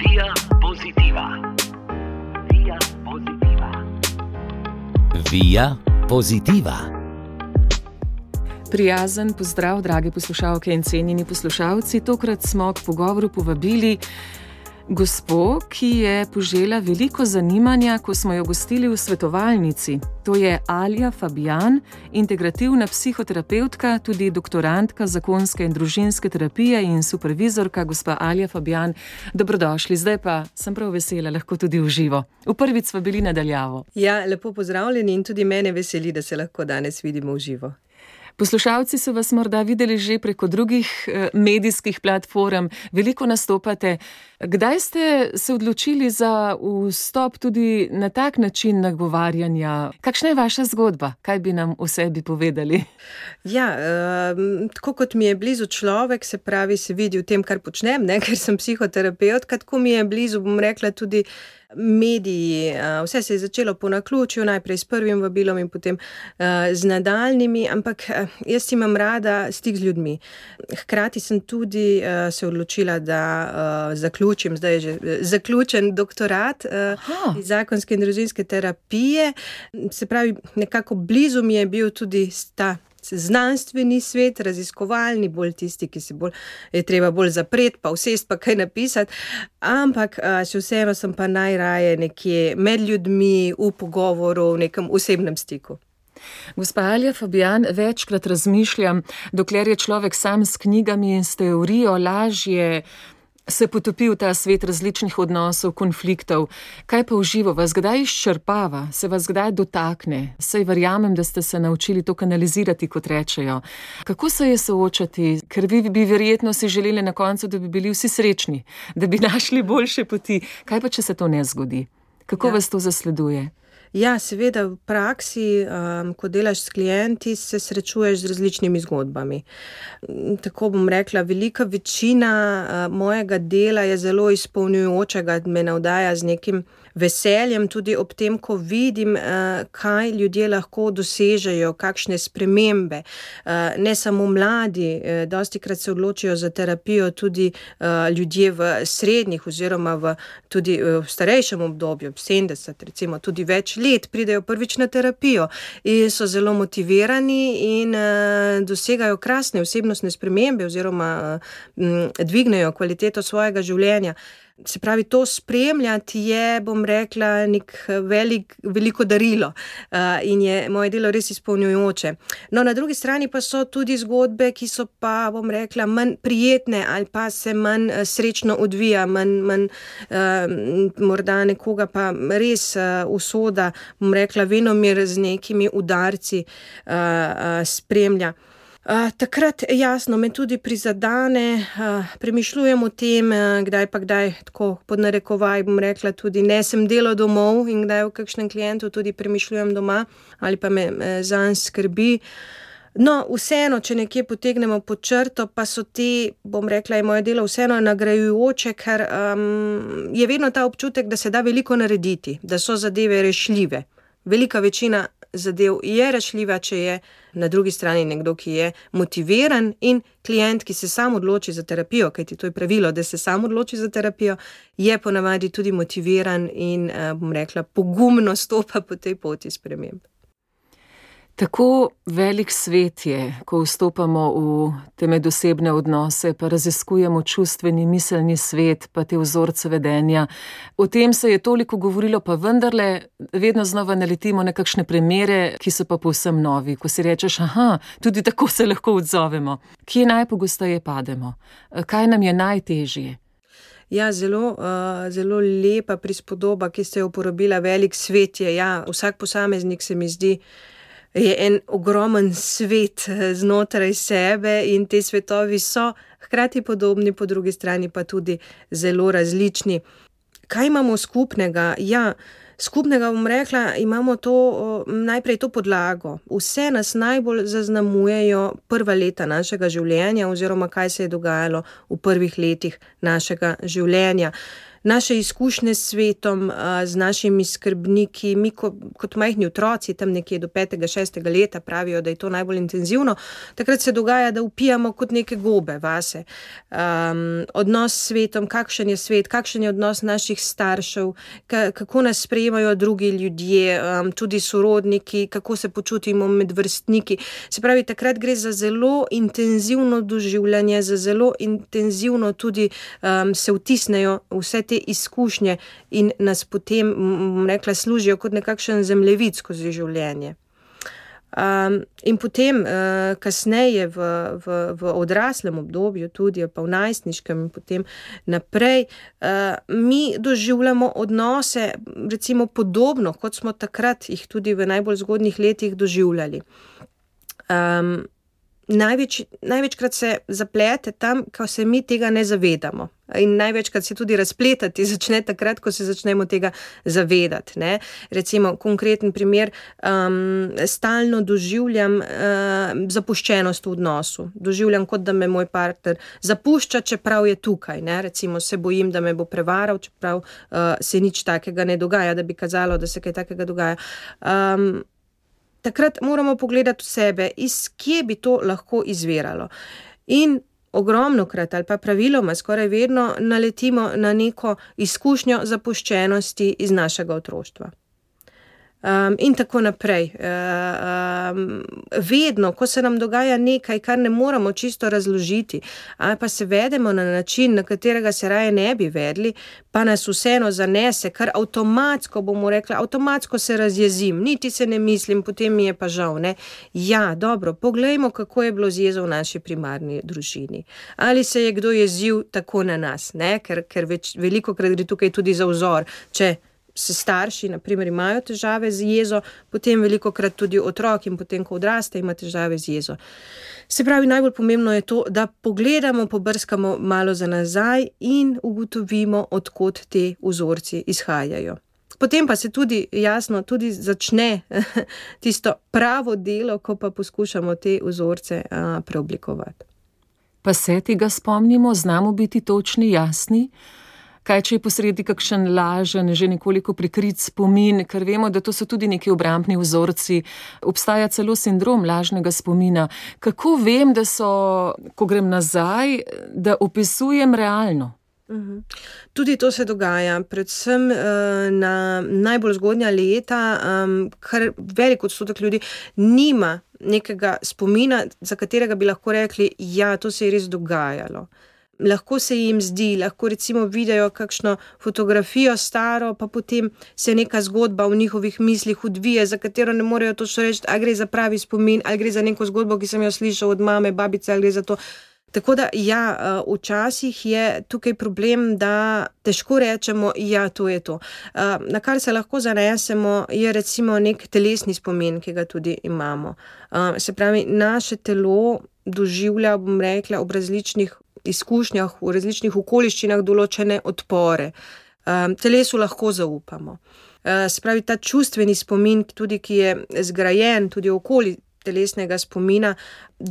Via Positiva. Via Positiva. Via Positiva. Prijazen pozdrav, drage poslušalke in cenjeni poslušalci. Tokrat smo k pogovoru povabili gospo, ki je požela veliko zanimanja, ko smo jo gostili v svetovalnici. To je Alja Fabijan, integrativna psihoterapevtka, tudi doktorantka zakonske in družinske terapije in supervizorka. Gospa Alja Fabijan, dobrodošli. Zdaj pa sem prav vesela, lahko tudi v živo. V prvič smo bili na daljavo. Ja, lepo pozdravljeni in tudi mene veseli, da se lahko danes vidimo v živo. Poslušalci so vas morda videli že preko drugih medijskih platform, veliko nastopate. Kdaj ste se odločili za vstop tudi na tak način nagovarjanja? Kakšna je vaša zgodba? Kaj bi nam o sebi povedali? Ja, tako kot mi je blizu človek, se pravi, se vidi v tem, kar počnem, ker sem psihoterapevtka, tako mi je blizu, bom rekla, tudi mediji. Vse se je začelo po naključju, najprej s prvim vabilom in potem z nadaljnimi, ampak jaz imam rada stik z ljudmi. Hkrati sem tudi se odločila, da zaključim, zdaj je že zaključen doktorat iz zakonske in družinske terapije. Se pravi, nekako blizu mi je bil tudi ta znanstveni svet, raziskovalni, bolj tisti, ki se je treba bolj zapreti, pa vsest, pa kaj napisati, ampak še vseeno sem pa najraje nekje med ljudmi, v pogovoru, v nekem osebnem stiku. Gospa Alja Fabijan, večkrat razmišljam, dokler je človek sam s knjigami in s teorijo, lažje se potopi v ta svet različnih odnosov, konfliktov. Kaj pa v živo vas kdaj izčrpava, se vas kdaj dotakne? Saj verjamem, da ste se naučili to kanalizirati, kot rečejo. Kako se je soočati? Ker vi bi verjetno si želeli na koncu, da bi bili vsi srečni, da bi našli boljše poti. Kaj pa, če se to ne zgodi? Kako vas to zasleduje? Ja, seveda v praksi, ko delaš s klienti, se srečuješ z različnimi zgodbami. Tako bom rekla, velika večina mojega dela je zelo izpolnjujočega, me navdaja z nekim veseljem, tudi ob tem, ko vidim, kaj ljudje lahko dosežejo, kakšne spremembe. Ne samo mladi, dostikrat se odločijo za terapijo tudi ljudje v srednjih oziroma tudi v starejšem obdobju, 70, recimo tudi več let, pridejo prvič na terapijo in so zelo motivirani in dosegajo krasne osebnostne spremembe oziroma dvignejo kvaliteto svojega življenja. Se pravi, to spremljati je, bom rekla, nek veliko darilo in je moje delo res izpolnjujoče. No, na drugi strani pa so tudi zgodbe, ki so pa, bom rekla, manj prijetne ali pa se manj srečno odvija, manj morda nekoga pa res usoda, bom rekla, venomer z nekimi udarci spremlja. Takrat jasno me tudi prizadane, premišljujem o tem, kdaj tako pod narekovaj, bom rekla, tudi nesem delo domov in kdaj v kakšnem klientu tudi premišljujem doma ali pa me zanj skrbi. No, vseeno, če nekje potegnemo pod črto, pa so te, bom rekla, je moje delo vseeno nagrajujoče, ker je vedno ta občutek, da se da veliko narediti, da so zadeve rešljive. Velika večina zadev je rešljiva, če je na drugi strani nekdo, ki je motiviran, in klient, ki se sam odloči za terapijo, kajti to je pravilo, da se sam odloči za terapijo, je ponavadi tudi motiviran in, bom rekla, pogumno stopa po tej poti sprememb. Tako velik svet je, ko vstopamo v te medosebne odnose, pa raziskujemo čustveni, miselni svet, pa te vzorce vedenja. O tem se je toliko govorilo, pa vendarle vedno znova naletimo na kakšne primere, ki so pa povsem novi. Ko si rečeš, tudi tako se lahko odzovemo. Kje najpogosteje pademo? Kaj nam je najtežje? Ja, zelo lepa prispodoba, ki ste jo uporabila, velik svet je. Ja, vsak posameznik, se mi zdi, je en ogromen svet znotraj sebe in te svetovi so hkrati podobni, po drugi strani pa tudi zelo različni. Kaj imamo skupnega? Ja, skupnega, bom rekla, imamo najprej to podlago. Vse nas najbolj zaznamujejo prva leta našega življenja oziroma kaj se je dogajalo v prvih letih našega življenja. naše izkušnje s svetom, z našimi skrbniki, mi kot majhni otroci, tam nekje do 5. 6. leta pravijo, da je to najbolj intenzivno, takrat se dogaja, da vpijamo kot neke gobe vase. Odnos s svetom, kakšen je svet, kakšen je odnos naših staršev, kako nas sprejemajo drugi ljudje, tudi sorodniki, kako se počutimo med vrstniki. Se pravi, takrat gre za zelo intenzivno doživljanje, za zelo intenzivno tudi se vtisnejo vse te izkušnje in nas potem, rekla, služijo kot nekakšen zemljevid skozi življenje. In potem kasneje v odraslem obdobju tudi, pa v najstniškem in potem naprej, mi doživljamo odnose recimo podobno, kot smo takrat jih tudi v najbolj zgodnjih letih doživljali. Največkrat se zaplete tam, ko se mi tega ne zavedamo. In največkrat se tudi razpletati začne takrat, ko se začnemo tega zavedati. Ne? Recimo, konkreten primer, stalno doživljam zapuščenost v odnosu. Doživljam, kot da me moj partner zapušča, čeprav je tukaj. Ne? Recimo, se bojim, da me bo prevaral, čeprav se nič takega ne dogaja, da bi kazalo, da se kaj takega dogaja. Takrat moramo pogledati v sebe, iz kje bi to lahko izviralo. In ogromnokrat ali pa praviloma skoraj vedno naletimo na neko izkušnjo zapuščenosti iz našega otroštva. In tako naprej. Vedno, ko se nam dogaja nekaj, kar ne moramo čisto razložiti, ali pa se vedemo na način, na katerega se raje ne bi vedli, pa nas vseeno zanese, kar avtomatsko, bomo rekla, avtomatsko se razjezim, niti se ne mislim, potem mi je pa žal. Ne? Ja, dobro, poglejmo, kako je bilo z jezo v naši primarni družini. Ali se je kdo jezil tako na nas, ne? Ker velikokrat gre tukaj tudi za vzor, če se starši, na primer, imajo težave z jezo, potem velikokrat tudi otrok in potem, ko odraste, ima težave z jezo. Se pravi, najbolj pomembno je to, da pogledamo, pobrskamo malo za nazaj in ugotovimo, od kod te vzorci izhajajo. Potem pa se tudi, jasno, tudi začne tisto pravo delo, ko pa poskušamo te vzorce preoblikovati. Pa se tega spomnimo, znamo biti točni, jasni? Kaj, če je posredi kakšen lažen, že nekoliko prikrit spomin, ker vemo, da to so tudi neki obrambni vzorci, obstaja celo sindrom lažnega spomina. Kako vem, da so, ko grem nazaj, da opisujem realno? Tudi to se dogaja, predvsem na najbolj zgodnja leta, kar velik odstotek ljudi nima nekega spomina, za katerega bi lahko rekli, ja, to se je res dogajalo. Lahko se jim zdi, lahko recimo vidijo kakšno fotografijo staro, pa potem se neka zgodba v njihovih mislih odvije, za katero ne morejo točno reči, ali gre za pravi spomin, ali gre za neko zgodbo, ki sem jo slišal od mame, babice, ali gre za to. Tako da, ja, včasih je tukaj problem, da težko rečemo, ja, to je to. Na kar se lahko zanesemo, je recimo nek telesni spomin, ki ga tudi imamo. Se pravi, naše telo doživlja, bom rekla, ob različnih izkušnjah, v različnih okoliščinah določene odpore. Telesu lahko zaupamo. Se pravi, ta čustveni spomin, tudi ki je zgrajen tudi okoli telesnega spomina, v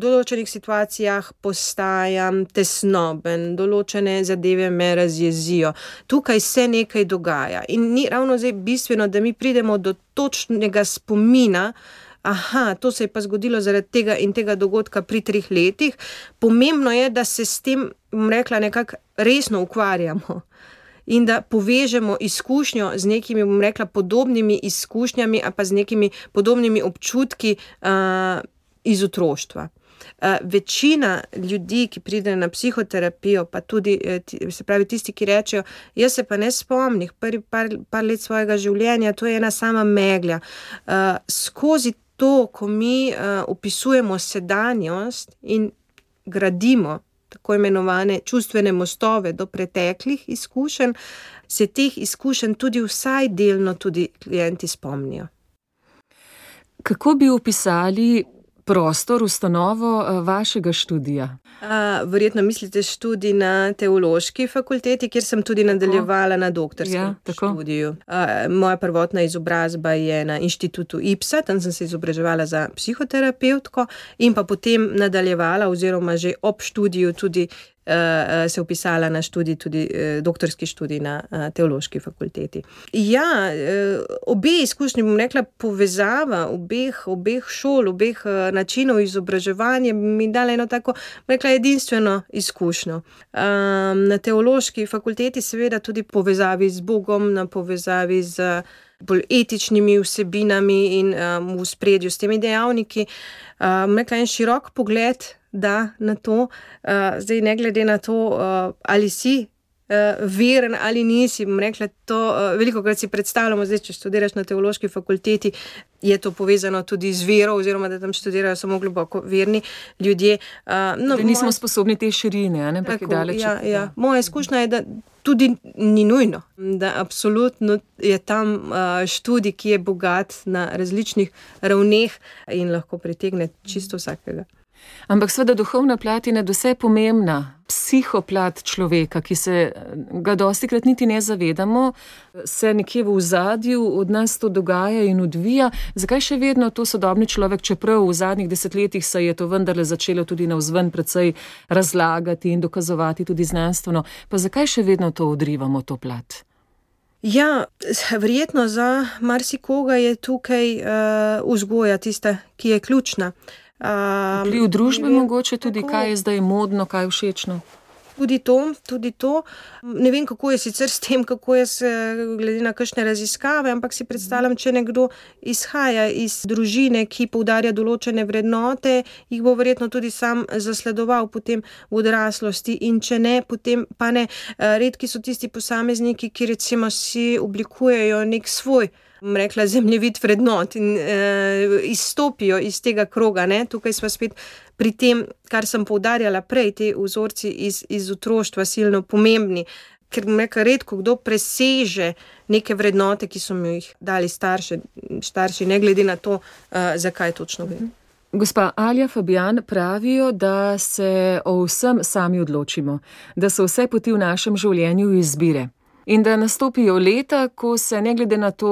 določenih situacijah postajam tesnoben, določene zadeve me razjezijo. Tukaj se nekaj dogaja. In ni ravno zdaj bistveno, da mi pridemo do točnega spomina, aha, to se je pa zgodilo zaradi tega in tega dogodka pri 3 letih. Pomembno je, da se s tem, bom rekla, nekako resno ukvarjamo in da povežemo izkušnjo z nekimi, bom rekla, podobnimi izkušnjami ali pa z nekimi podobnimi občutki iz otroštva. Večina ljudi, ki pridejo na psihoterapijo, pa tudi, se pravi, tisti, ki rečejo, jaz se pa ne spomnim par let svojega življenja, to je ena sama megla. Skozi to, ko mi opisujemo sedanjost in gradimo tako imenovane čustvene mostove do preteklih izkušenj, se teh izkušenj tudi vsaj delno tudi klienti spomnijo. Kako bi opisali prostor, ustanovo vašega študija? Verjetno mislite študij na teološki fakulteti, kjer sem tudi nadaljevala na doktorskem študiju. Moja prvotna izobrazba je na inštitutu IPSA, tam sem se izobraževala za psihoterapevtko in pa potem nadaljevala oziroma že ob študiju tudi se vpisala na študij, tudi doktorski študij na teološki fakulteti. Ja, obe izkušnji, bom rekla, povezava obeh šol, obeh načinov izobraževanja mi dala eno tako, bom rekla, edinstveno izkušnjo. Na teološki fakulteti seveda tudi povezavi z Bogom, na povezavi z bolj etičnimi vsebinami in v spredju s temi dejavniki. Bom rekla, en širok pogled da na to, zdaj ne glede na to, ali si veren ali nisi, bom rekla, to velikokrat si predstavljamo, zdaj, če študiraš na teološki fakulteti, je to povezano tudi z vero, oziroma da tam študirajo samo globoko verni ljudje. Da nismo sposobni te širine, ampak je daleč. Ja. Moja izkušnja je, da tudi ni nujno, da absolutno je tam študij, ki je bogat na različnih ravneh in lahko pritegne čisto vsakega. Ampak seveda duhovna plat je nadvse pomembna, psihoplat človeka, ki se ga dostikrat niti ne zavedamo, se nekje v ozadju od nas to dogaja in odvija. Zakaj še vedno to sodobni človek, čeprav v zadnjih desetletjih se je to vendarle začelo tudi navzven precej razlagati in dokazovati tudi znanstveno, pa zakaj še vedno to odrivamo, to plat? Ja, verjetno za marsikoga je tukaj vzgoja tista, ki je ključna. Vpliv družbe mogoče tudi, kaj je zdaj modno, kaj je všečno? Tudi to. Ne vem, kako je sicer s tem, kako je glede na kakšne raziskave, ampak si predstavljam, če nekdo izhaja iz družine, ki poudarja določene vrednote, jih bo verjetno tudi sam zasledoval potem v odraslosti, in če ne, potem pa ne. Redki so tisti posamezniki, ki recimo si oblikujejo nek svoj, bom rekla, zemljevid vrednot in izstopijo iz tega kroga, ne. Tukaj smo spet pri tem, kar sem poudarjala prej, ti vzorci iz otroštva silno pomembni, ker, bom rekla, redko kdo preseže neke vrednote, ki so mi jih dali starši, ne glede na to, zakaj točno gre. Gospa Alja Fabijan, pravijo, da se o vsem sami odločimo, da so vse poti v našem življenju izbire. In da nastopijo leta, ko se ne glede na to,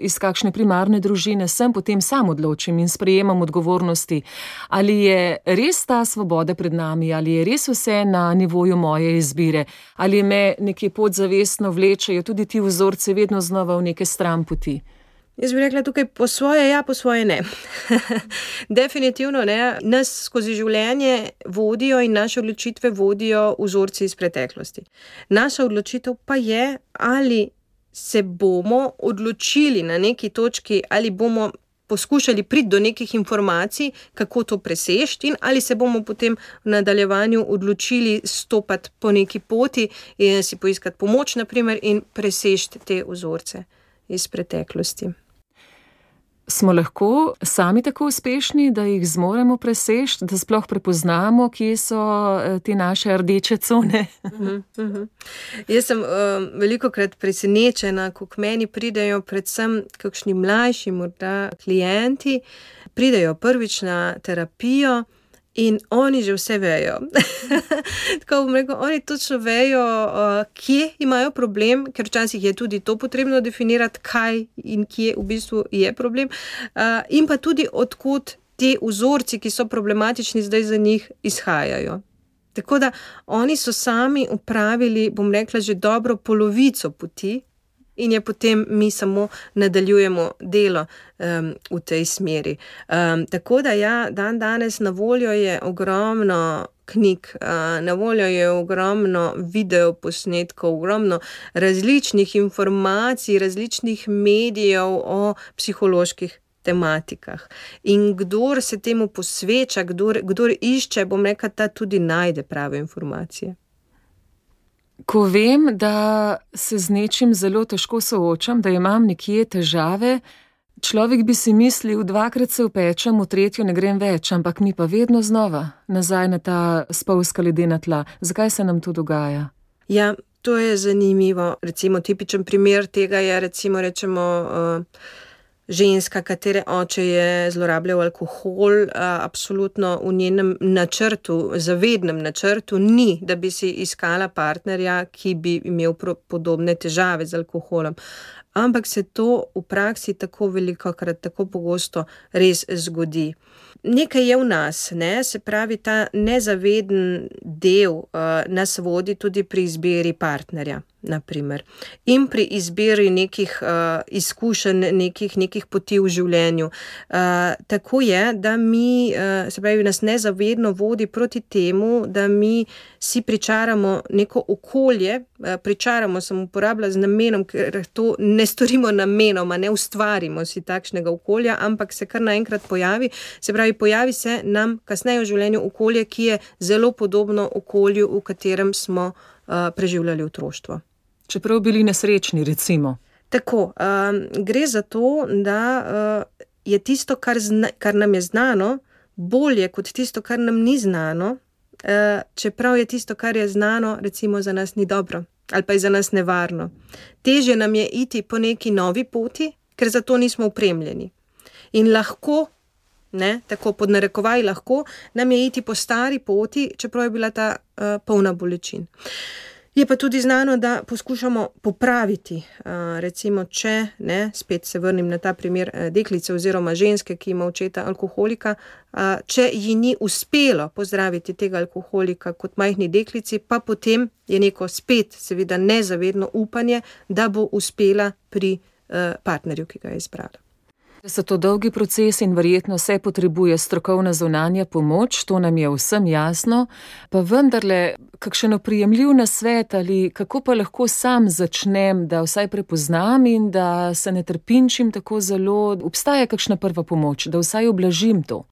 iz kakšne primarne družine sem, potem sam odločim in sprejemam odgovornosti. Ali je res ta svoboda pred nami, ali je res vse na nivoju moje izbire, ali me nekje podzavestno vlečejo tudi ti vzorci vedno znova v neke stranpoti? Jaz bi rekla tukaj po svoje ja, po svoje ne. Definitivno ne. Nas skozi življenje vodijo in naše odločitve vodijo vzorci iz preteklosti. Naša odločitev pa je, ali se bomo odločili na neki točki, ali bomo poskušali priti do nekih informacij, kako to presežiti, in ali se bomo potem v nadaljevanju odločili stopati po neki poti in si poiskati pomoč, naprimer, in presežiti te vzorce iz preteklosti. Smo lahko sami tako uspešni, da jih zmoremo presežiti, da sploh prepoznamo, kje so te naše rdeče cone? Jaz sem velikokrat presenečena, ko k meni pridejo predvsem kakšni mlajši morda klienti, pridejo prvič na terapijo in oni že vse vejo. Tako bom rekel, oni točno vejo, kje imajo problem, ker včasih je tudi to potrebno definirati, kaj in kje v bistvu je problem, in pa tudi odkot ti vzorci, ki so problematični zdaj za njih, izhajajo. Tako da oni so sami opravili, bom rekla, že dobro polovico poti, in je potem mi samo nadaljujemo delo v tej smeri. Tako da ja, danes na voljo je ogromno knjig, na voljo je ogromno videoposnetkov, ogromno različnih informacij, različnih medijev o psiholoških tematikah. In kdor se temu posveča, kdor išče, bom rekla, ta tudi najde prave informacije. Ko vem, da se z nečim zelo težko soočam, da imam nekje težave, človek bi si mislil, dvakrat se upečem, v tretjo ne grem več, ampak mi pa vedno znova nazaj na ta spolzka ledena tla. Zakaj se nam to dogaja? Ja, to je zanimivo. Recimo tipičen primer tega je, recimo rečemo, ženska, katere oče je zlorabljal alkohol, absolutno v njenem načrtu, zavednem načrtu ni, da bi si iskala partnerja, ki bi imel podobne težave z alkoholom. Ampak se to v praksi tako velikokrat, tako pogosto res zgodi. Nekaj je v nas, ne? Se pravi, ta nezaveden del nas vodi tudi pri izbiri partnerja, naprimer. In pri izbiri nekih izkušenj, nekih poti v življenju. Tako je, da mi, se pravi, nas nezavedno vodi proti temu, da mi si pričaramo neko okolje, pričaramo, sem uporabila z namenom, ker to ne storimo namenoma, ne ustvarimo si takšnega okolja, ampak se kar naenkrat pojavi. Se pravi, pojavi se nam kasneje v življenju okolje, ki je zelo podobno okolju, v katerem smo preživljali otroštvo. Čeprav bili nesrečni, recimo. Tako, gre za to, da je tisto, kar nam je znano, bolje kot tisto, kar nam ni znano, čeprav je tisto, kar je znano, recimo za nas ni dobro ali pa je za nas nevarno. Težje nam je iti po neki novi poti, ker za to nismo opremljeni. In lahko, tako pod narekovaj lahko, nam je iti po stari poti, čeprav je bila ta polna bolečin. Je pa tudi znano, da poskušamo popraviti, recimo, če, spet se vrnim na ta primer deklice oziroma ženske, ki ima očeta alkoholika, če ji ni uspelo pozdraviti tega alkoholika kot majhni deklici, pa potem je neko spet, seveda nezavedno upanje, da bo uspela pri partnerju, ki ga je izbrala. So to dolgi proces in verjetno se potrebuje strokovna zunanja pomoč, to nam je vsem jasno, pa vendarle, kakšen oprijemljiv nasvet ali kako pa lahko sam začnem, da vsaj prepoznam in da se ne trpinčim tako zelo, obstaja kakšna prva pomoč, da vsaj ublažim to.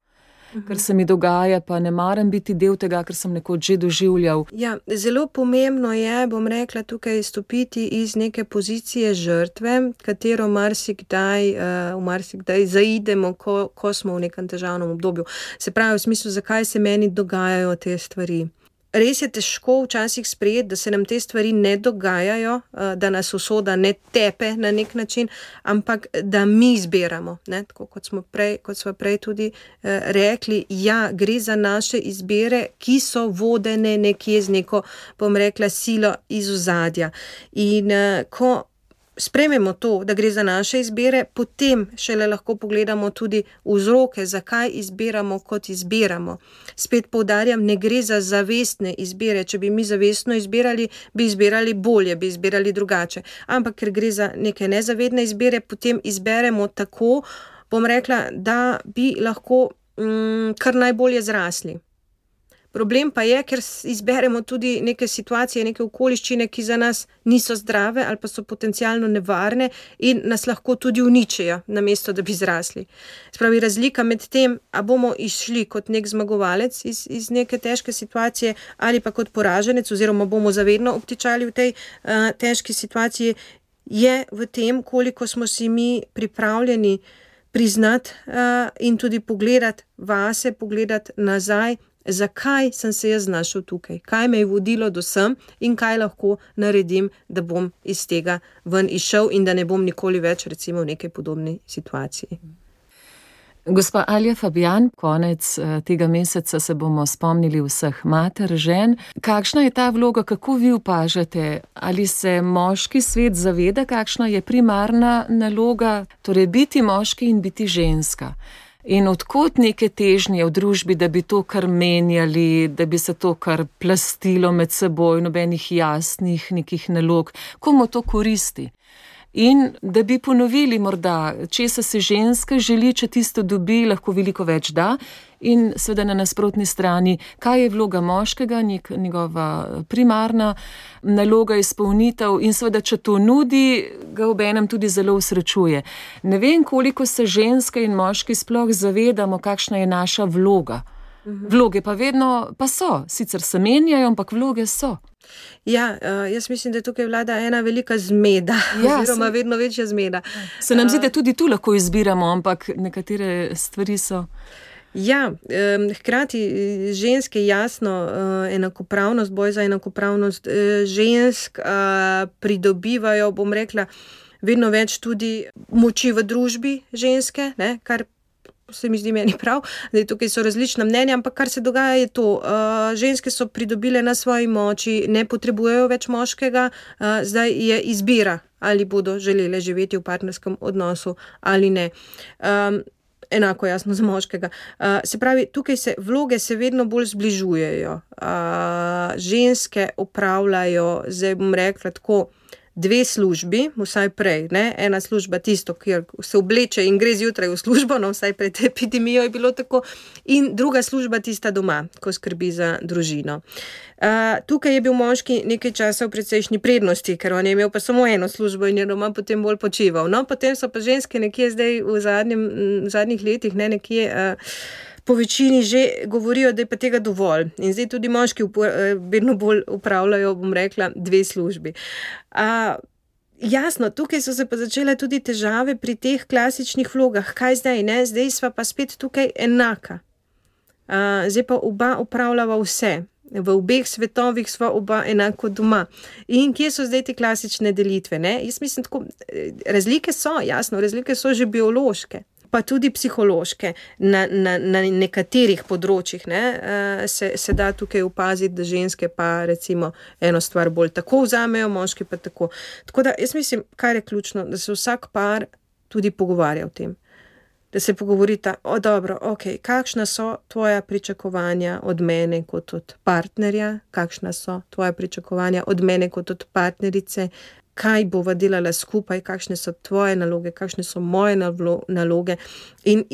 Kar se mi dogaja, pa ne maram biti del tega, kar sem nekoč že doživljal. Ja, zelo pomembno je, bom rekla, tukaj stopiti iz neke pozicije žrtve, katero marsikdaj zaidemo, ko smo v nekem težavnem obdobju. Se pravi, v smislu, zakaj se meni dogajajo te stvari. Res je težko včasih sprejeti, da se nam te stvari ne dogajajo, da nas usoda ne tepe na nek način, ampak da mi izbiramo. Tako kot smo prej tudi rekli, ja, gre za naše izbire, ki so vodene nekje z neko, bom rekla, silo iz ozadja. In ko sprejmemo to, da gre za naše izbire, potem šele lahko pogledamo tudi vzroke, zakaj izbiramo, kot izbiramo. Spet poudarjam, ne gre za zavestne izbire. Če bi mi zavestno izbirali, bi izbirali bolje, bi izbirali drugače. Ampak ker gre za neke nezavedne izbire, potem izberemo tako, bom rekla, da bi lahko kar najbolje zrasli. Problem pa je, ker izberemo tudi neke situacije, neke okoliščine, ki za nas niso zdrave ali pa so potencialno nevarne in nas lahko tudi uničijo, namesto da bi zrasli. Spravi, razlika med tem, a bomo išli kot nek zmagovalec iz neke težke situacije ali pa kot poraženec oziroma bomo zavedno obtičali v tej težki situaciji, je v tem, koliko smo si mi pripravljeni priznati in tudi pogledati vase, pogledati nazaj, zakaj sem se jaz znašel tukaj, kaj me je vodilo do sem in kaj lahko naredim, da bom iz tega ven izšel in da ne bom nikoli več recimo v nekaj podobni situaciji. Gospa Alja Fabijan, konec tega meseca se bomo spomnili vseh mater, žen. Kakšna je ta vloga, kako vi opažate? Ali se moški svet zaveda, kakšna je primarna naloga, torej biti moški in biti ženska? In odkot neke težnje v družbi, da bi to kar menjali, da bi se to kar plastilo med seboj, nobenih jasnih nekih nalog, komu to koristi? In da bi ponovili morda, česa se ženska želi, če tisto dobi, lahko veliko več da, in seveda na nasprotni strani, kaj je vloga moškega, njegova primarna naloga, izpolnitev, in seveda, če to nudi, ga obenem tudi zelo usrečuje. Ne vem, koliko se ženske in moški sploh zavedamo, kakšna je naša vloga. Vloge pa vedno pa so, sicer se menjajo, ampak vloge so. Ja, jaz mislim, da tukaj vlada ena velika zmeda, oziroma vedno večja zmeda. Se nam zdi, da tudi tu lahko izbiramo, ampak nekatere stvari so... Ja, hkrati ženske jasno enakopravnost, boj za enakopravnost žensk pridobivajo, bom rekla, vedno več tudi moči v družbi ženske, kar se mi zdi meni prav, da tukaj so različna mnenja, ampak kar se dogaja je to, ženske so pridobile na svoji moči, ne potrebujejo več moškega, zdaj je izbira, ali bodo želele živeti v partnerskem odnosu ali ne. enako jasno za moškega. Se pravi, tukaj vloge se vedno bolj zbližujejo. Ženske opravljajo, zdaj bom rekla tako, 2 službi, vsaj prej, ne? Ena služba tisto, kjer se obleče in gre zjutraj v službo, no vsaj pred epidemijo je bilo tako, in druga služba tista doma, ko skrbi za družino. Tukaj je bil moški nekaj časa v precejšnji prednosti, ker on je imel pa samo eno službo in je doma potem bolj počival. No, potem so pa ženske nekje zdaj v zadnjih letih, ne, nekje po večini že govorijo, da je pa tega dovolj. In zdaj tudi moški vedno bolj upravljajo, bom rekla, 2 službi. Jasno, tukaj so se pa začele tudi težave pri teh klasičnih vlogah. Kaj zdaj, ne? Zdaj sva pa spet tukaj enaka. Zdaj pa oba upravljava vse. V obeh svetovih sva oba enako doma. In kje so zdaj te klasične delitve, ne? Jaz mislim tako, razlike so, jasno, razlike so že biološke, pa tudi psihološke. Na nekaterih področjih, ne, se da tukaj opaziti, da ženske pa recimo eno stvar bolj tako vzamejo, moški pa tako. Tako da jaz mislim, kar je ključno, da se vsak par tudi pogovarja o tem. Da se pogovorita, dobro, ok, kakšna so tvoja pričakovanja od mene kot od partnerja, kakšna so tvoja pričakovanja od mene kot od partnerice, kaj bova delala skupaj, kakšne so tvoje naloge, kakšne so moje naloge. In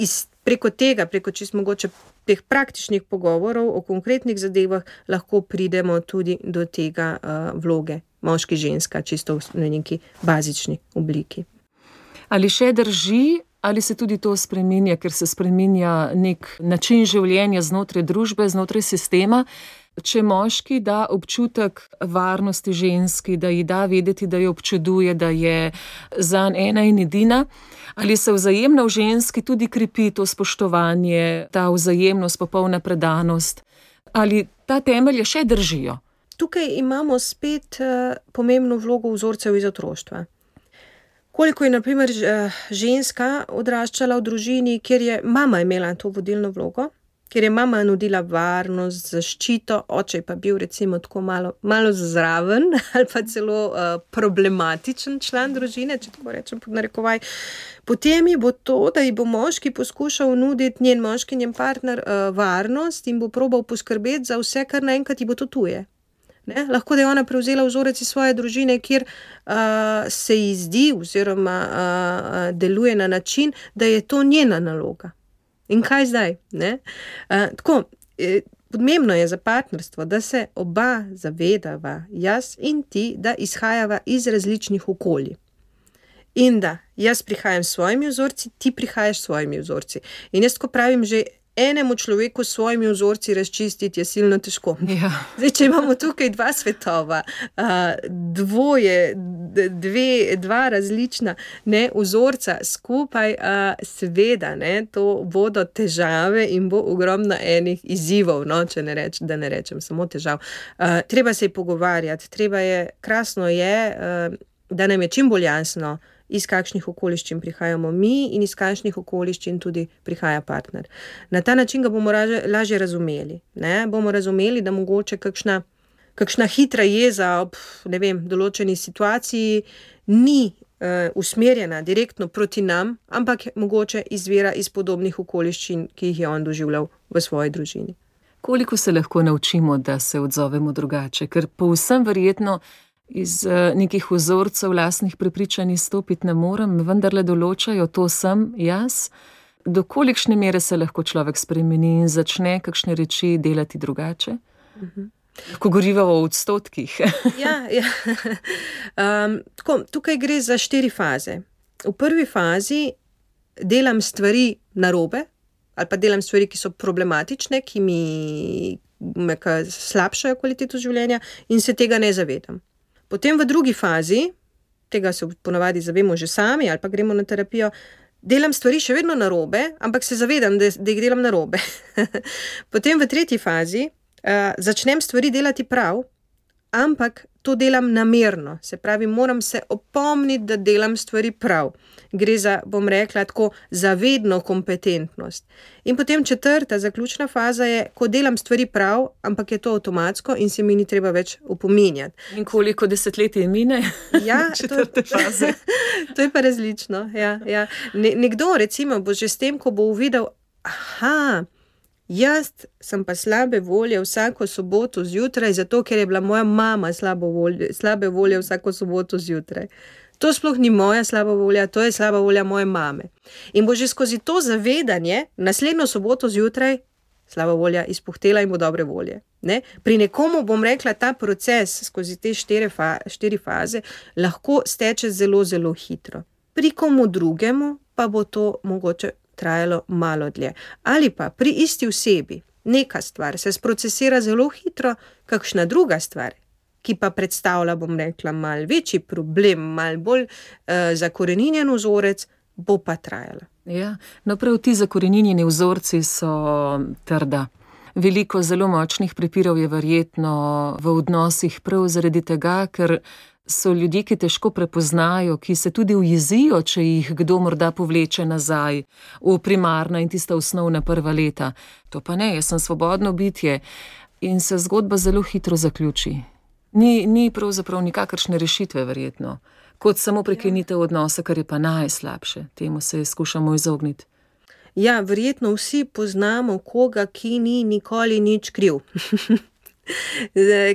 preko tega, preko čisto mogoče teh praktičnih pogovorov o konkretnih zadevah, lahko pridemo tudi do tega vloge moški, ženska, čisto v neki bazični obliki. Ali še drži, ali se tudi to spreminja, ker se spreminja nek način življenja znotraj družbe, znotraj sistema? Če moški da občutek varnosti ženski, da ji da vedeti, da jo občuduje, da je zanj ena in edina, ali se vzajemno v ženski tudi krepi to spoštovanje, ta vzajemnost, popolna predanost, ali ta temelje še držijo? Tukaj imamo spet pomembno vlogo vzorcev iz otroštva. Koliko je, na primer, ženska odraščala v družini, kjer je mama imela to vodilno vlogo, ker je mama nudila varnost, zaščito, oče pa bil recimo tako malo zraven ali pa celo problematičen član družine, če tako rečem pod narekovaj. Potem je bo to, da ji bo moški poskušal nuditi njen moški, njen partner varnost in bo probal poskrbeti za vse, kar naenkrat ji bo to tuje. Ne? Lahko da je ona prevzela vzorec iz svoje družine, kjer se ji zdi oziroma deluje na način, da je to njena naloga. In kaj zdaj? Ne? Tako, pomembno je za partnerstvo, da se oba zavedava, jaz in ti, da izhajava iz različnih okolij. In da jaz prihajam s svojimi vzorci, ti prihajaš s svojimi vzorci. In jaz tako pravim, že enemu človeku s svojimi vzorci razčistiti je silno težko. Ja. Zdaj, če imamo tukaj 2 svetova, dva različna vzorca skupaj, seveda, to bodo težave in bo ogromno enih izzivov, da ne rečem samo težav. Treba se je pogovarjati, krasno je, da nam je čim bolj jasno, iz kakšnih okoliščin prihajamo mi in iz kakšnih okoliščin tudi prihaja partner. Na ta način ga bomo lažje razumeli. Ne? Bomo razumeli, da mogoče kakšna hitra jeza ob določeni situaciji ni usmerjena direktno proti nam, ampak mogoče izvira iz podobnih okoliščin, ki jih je on doživljal v svoji družini. Koliko se lahko naučimo, da se odzovemo drugače? Ker povsem verjetno iz nekih vzorcev lastnih prepričanj izstopiti ne morem, vendarle določajo, to sem jaz. Do kolikšne mere se lahko človek spremeni in začne kakšne reči delati drugače? Ko govorimo o odstotkih. Ja. Tukaj gre za 4 faze. V prvi fazi delam stvari narobe, ali pa delam stvari, ki so problematične, ki mi slabšajo kvaliteto življenja in se tega ne zavedam. Potem v drugi fazi, tega se ponavadi zavemo že sami ali pa gremo na terapijo, delam stvari še vedno narobe, ampak se zavedam, da jih delam narobe. Potem v tretji fazi začnem stvari delati prav, ampak to delam namerno. Se pravi, moram se opomniti, da delam stvari prav. Gre za, bom rekla, tako zavedno kompetentnost. In potem 4. zaključna faza je, ko delam stvari prav, ampak je to avtomatsko in se mi ni treba več opominjati. In koliko desetletij mine? Ja, 4. faze. To je pa različno. Ja. Nekdo recimo bo že s tem, ko bo uvidel, jaz sem pa slabe volje vsako soboto zjutraj, zato ker je bila moja mama slabe volje vsako soboto zjutraj. To sploh ni moja slaba volja, to je slaba volja moje mame. In bo že skozi to zavedanje naslednjo soboto zjutraj slaba volja izpuhtela in bo dobre volje. Ne? Pri nekomu, bom rekla, ta proces skozi te 4 faze lahko steče zelo, zelo hitro. Pri komu drugemu pa bo to mogoče trajalo malo dlje. Ali pa pri isti osebi neka stvar se sprocesira zelo hitro, kakšna druga stvar, ki pa predstavlja, bom rekla, malo večji problem, malo bolj zakoreninjen vzorec, bo pa trajala. Ja, no prav ti zakoreninjeni vzorci so trda. Veliko zelo močnih prepirov je verjetno v odnosih prav zaradi tega, ker so ljudje, ki težko prepoznajo, ki se tudi ujezijo, če jih kdo morda povleče nazaj v primarna in tista osnovna prva leta. To pa ne, jaz sem svobodno bitje in se zgodba zelo hitro zaključi. Ni pravzaprav nikakršne rešitve verjetno, kot samo prekinitev odnosa, kar je pa najslabše. Temu se skušamo izogniti. Ja, verjetno vsi poznamo koga, ki ni nikoli nič kriv.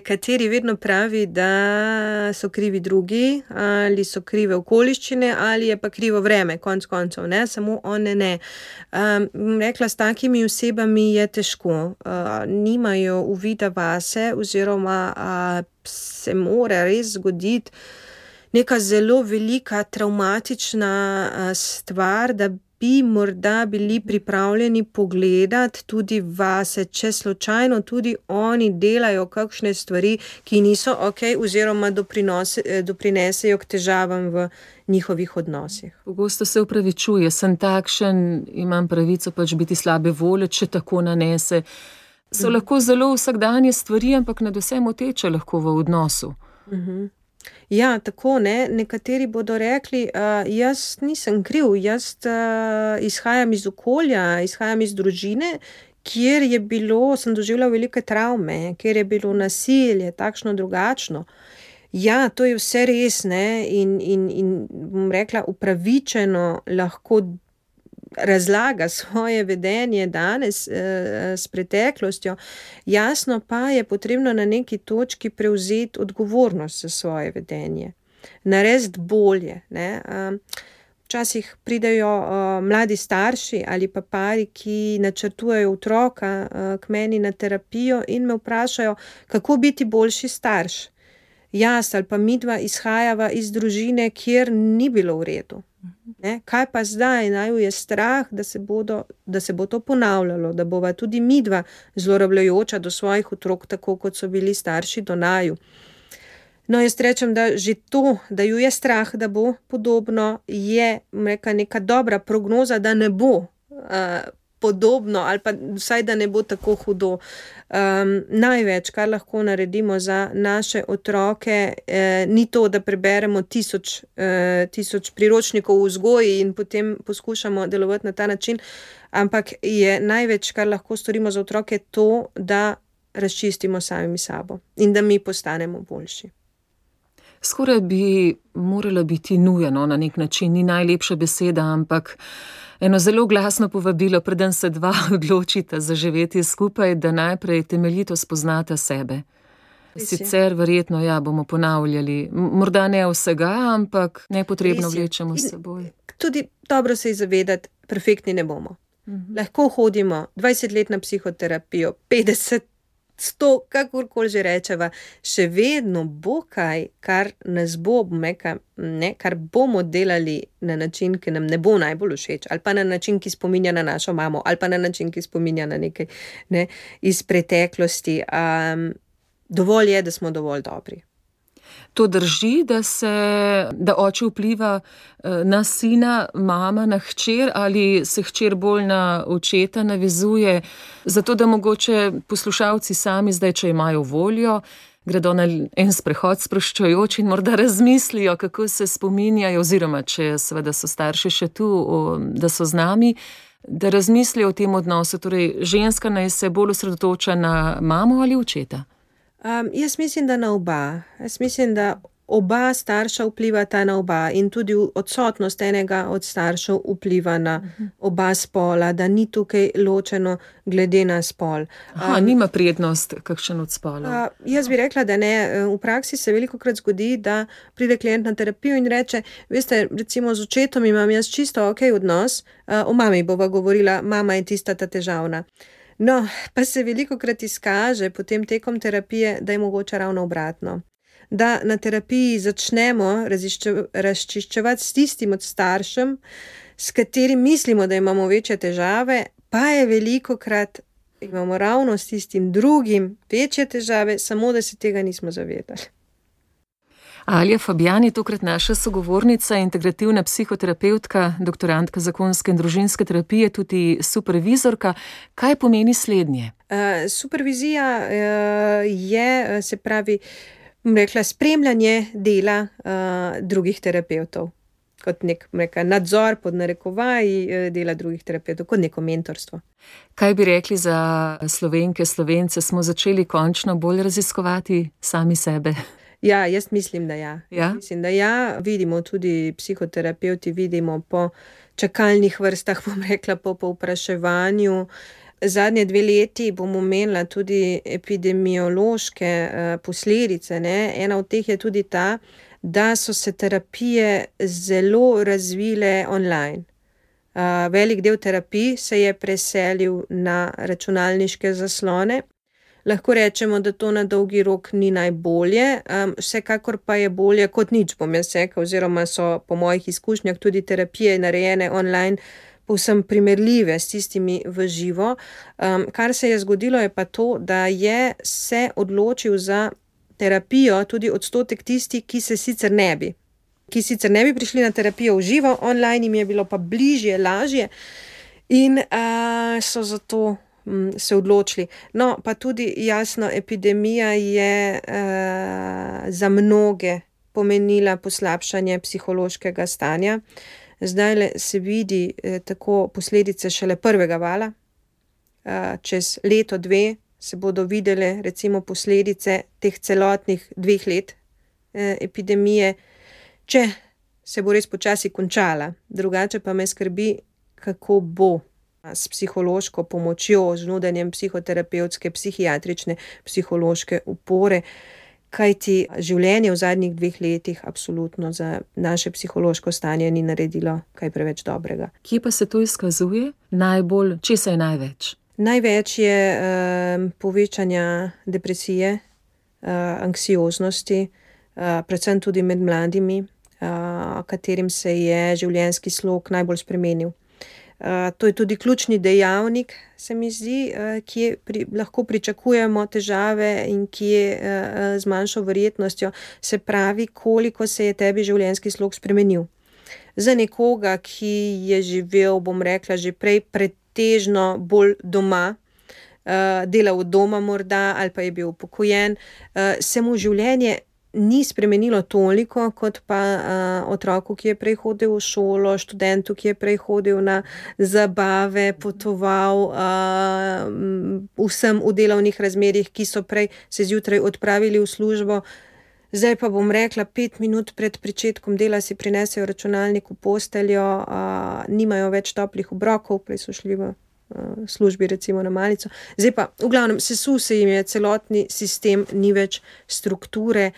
Kateri vedno pravi, da so krivi drugi, ali so krive okoliščine, ali je pa krivo vreme, konc koncev, ne, samo on ne. Rekla, s takimi osebami je težko, nimajo uvida vase, oziroma se mora res zgoditi neka zelo velika travmatična stvar, da bi morda bili pripravljeni pogledati tudi vase, če slučajno tudi oni delajo kakšne stvari, ki niso okej, oziroma doprinesejo k težavam v njihovih odnosih. Pogosto se upravičuje, sem takšen, imam pravico pač biti slabe volje, če tako nanese. So lahko zelo vsakdanje stvari, ampak nadvse moteče lahko v odnosu. Ja, tako, ne. Nekateri bodo rekli, jaz nisem kriv, jaz izhajam iz okolja, izhajam iz družine, kjer sem doživljal velike travme, kjer je bilo nasilje, takšno drugačno. Ja, to je vse res, ne, in bom rekla, upravičeno lahko razlaga svoje vedenje danes s preteklostjo, jasno pa je potrebno na neki točki prevzeti odgovornost za svoje vedenje, narediti bolje. Ne. Včasih pridejo mladi starši ali pa pari, ki načrtujejo otroka k meni na terapijo in me vprašajo, kako biti boljši starš. Jaz ali pa midva izhajava iz družine, kjer ni bilo v redu. Ne? Kaj pa zdaj? Naju je strah, da se bo to ponavljalo, da bova tudi midva zlorabljajoča do svojih otrok, tako kot so bili starši do naju. No, jaz rečem, da že to, da ju je strah, da bo podobno, je neka dobra prognoza, da ne bo podobno, ali pa vsaj, da ne bo tako hudo. Največ, kar lahko naredimo za naše otroke, ni to, da preberemo tisoč priročnikov v vzgoji in potem poskušamo delovati na ta način, ampak je največ, kar lahko storimo za otroke, to, da razčistimo samimi sabo in da mi postanemo boljši. Skoraj bi morala biti nujeno na nek način, ni najlepša beseda, ampak eno zelo glasno povabilo, preden se dva odločita za živeti skupaj, da najprej temeljito spoznata sebe. Sicer verjetno, bomo ponavljali, morda ne vsega, ampak nepotrebno vlečemo s seboj. Tudi dobro se je zavedati, perfektni ne bomo. Lahko hodimo 20 let na psihoterapijo, 50, 100, kakorkoli že rečeva, še vedno bo kaj, kar nas bo, kar bomo delali na način, ki nam ne bo najbolj všeč, ali pa na način, ki spominja na našo mamo, ali pa na način, ki spominja na nekaj iz preteklosti. Dovolj je, da smo dovolj dobri. To drži, da oče vpliva na sina, mama na hčer, ali se hčer bolj na očeta navezuje, zato da mogoče poslušalci sami zdaj, če imajo voljo, gredo na en sprehod sproščujoč in morda razmislijo, kako se spominjajo, oziroma če seveda so starši še tu, da so z nami, da razmislijo o tem odnosu. Torej, ženska naj se bolj osredotoča na mamo ali očeta? Jaz mislim, da na oba. Jaz mislim, da oba starša vplivata na oba in tudi odsotnost enega od staršev vpliva na oba spola, da ni tukaj ločeno glede na spol. Nima prednost kakšen od spolov. Jaz bi rekla, da ne. V praksi se velikokrat zgodi, da pride klient na terapijo in reče, veste, recimo z očetom imam jaz čisto okej odnos, o mami bova govorila, mama je tista ta težavna. No, pa se velikokrat izkaže potem tekom terapije, da je mogoče ravno obratno. Da na terapiji začnemo razčiščevati s tistim od staršem, s katerim mislimo, da imamo večje težave, pa je velikokrat imamo ravno s tistim drugim večje težave, samo da se tega nismo zavedali. Alja Fabijan je tokrat naša sogovornica, integrativna psihoterapevtka, doktorantka zakonske in družinske terapije, tudi supervizorka. Kaj pomeni slednje? Supervizija je, se pravi, rekla, spremljanje dela drugih terapevtov. Kot nek nadzor pod narekovaji dela drugih terapevtov, kot neko mentorstvo. Kaj bi rekli za Slovenke, Slovence? Smo začeli končno bolj raziskovati sami sebe? Ja, jaz mislim, da ja. Ja? Mislim, da ja. Vidimo tudi psihoterapevti, vidimo po čakalnih vrstah, bom rekla, po povpraševanju. Zadnje 2 leti bom omenila tudi epidemiološke posledice, ne. Ena od teh je tudi ta, da so se terapije zelo razvile online. Velik del terapij se je preselil na računalniške zaslone. Lahko rečemo, da to na dolgi rok ni najbolje, vsekakor pa je bolje kot nič, bom jaz rekla, oziroma so po mojih izkušnjah tudi terapije narejene online povsem primerljive s tistimi v živo. Kar se je zgodilo, je pa to, da je se odločil za terapijo tudi odstotek tistih, ki sicer ne bi prišli na terapijo v živo, online jim je bilo pa bližje, lažje in so zato se odločili. No, pa tudi jasno, epidemija je za mnoge pomenila poslabšanje psihološkega stanja. Zdajle se vidi tako posledice šele prvega vala. Čez leto, 2 se bodo videle recimo posledice teh celotnih 2 let epidemije, če se bo res počasi končala. Drugače pa me skrbi, kako bo s psihološko pomočjo, z nudenjem psihoterapevtske, psihiatrične, psihološke opore, kajti življenje v zadnjih 2 letih absolutno za naše psihološko stanje ni naredilo kaj preveč dobrega. Kje pa se to izkazuje? Česa je največ? Največ je povečanja depresije, anksioznosti, predvsem tudi med mladimi, katerim se je življenjski slog najbolj spremenil. To je tudi ključni dejavnik, se mi zdi, kje lahko pričakujemo težave in kje z manjšo verjetnostjo, se pravi, koliko se je tebi življenjski slog spremenil. Za nekoga, ki je živel, bom rekla, že prej pretežno bolj doma, delal od doma morda ali pa je bil upokojen, se mu življenje ni spremenilo toliko, kot pa otroku, ki je prej hodil v šolo, študentu, ki je prej hodil na zabave, potoval, vsem v delovnih razmerjih, ki so prej se zjutraj odpravili v službo. Zdaj pa bom rekla, 5 minut pred pričetkom dela si prinesejo računalnik v posteljo, nimajo več toplih obrokov, prej so šli v službi recimo na malico. Zdaj pa, v glavnem, sesul se jim je celotni sistem, ni več strukture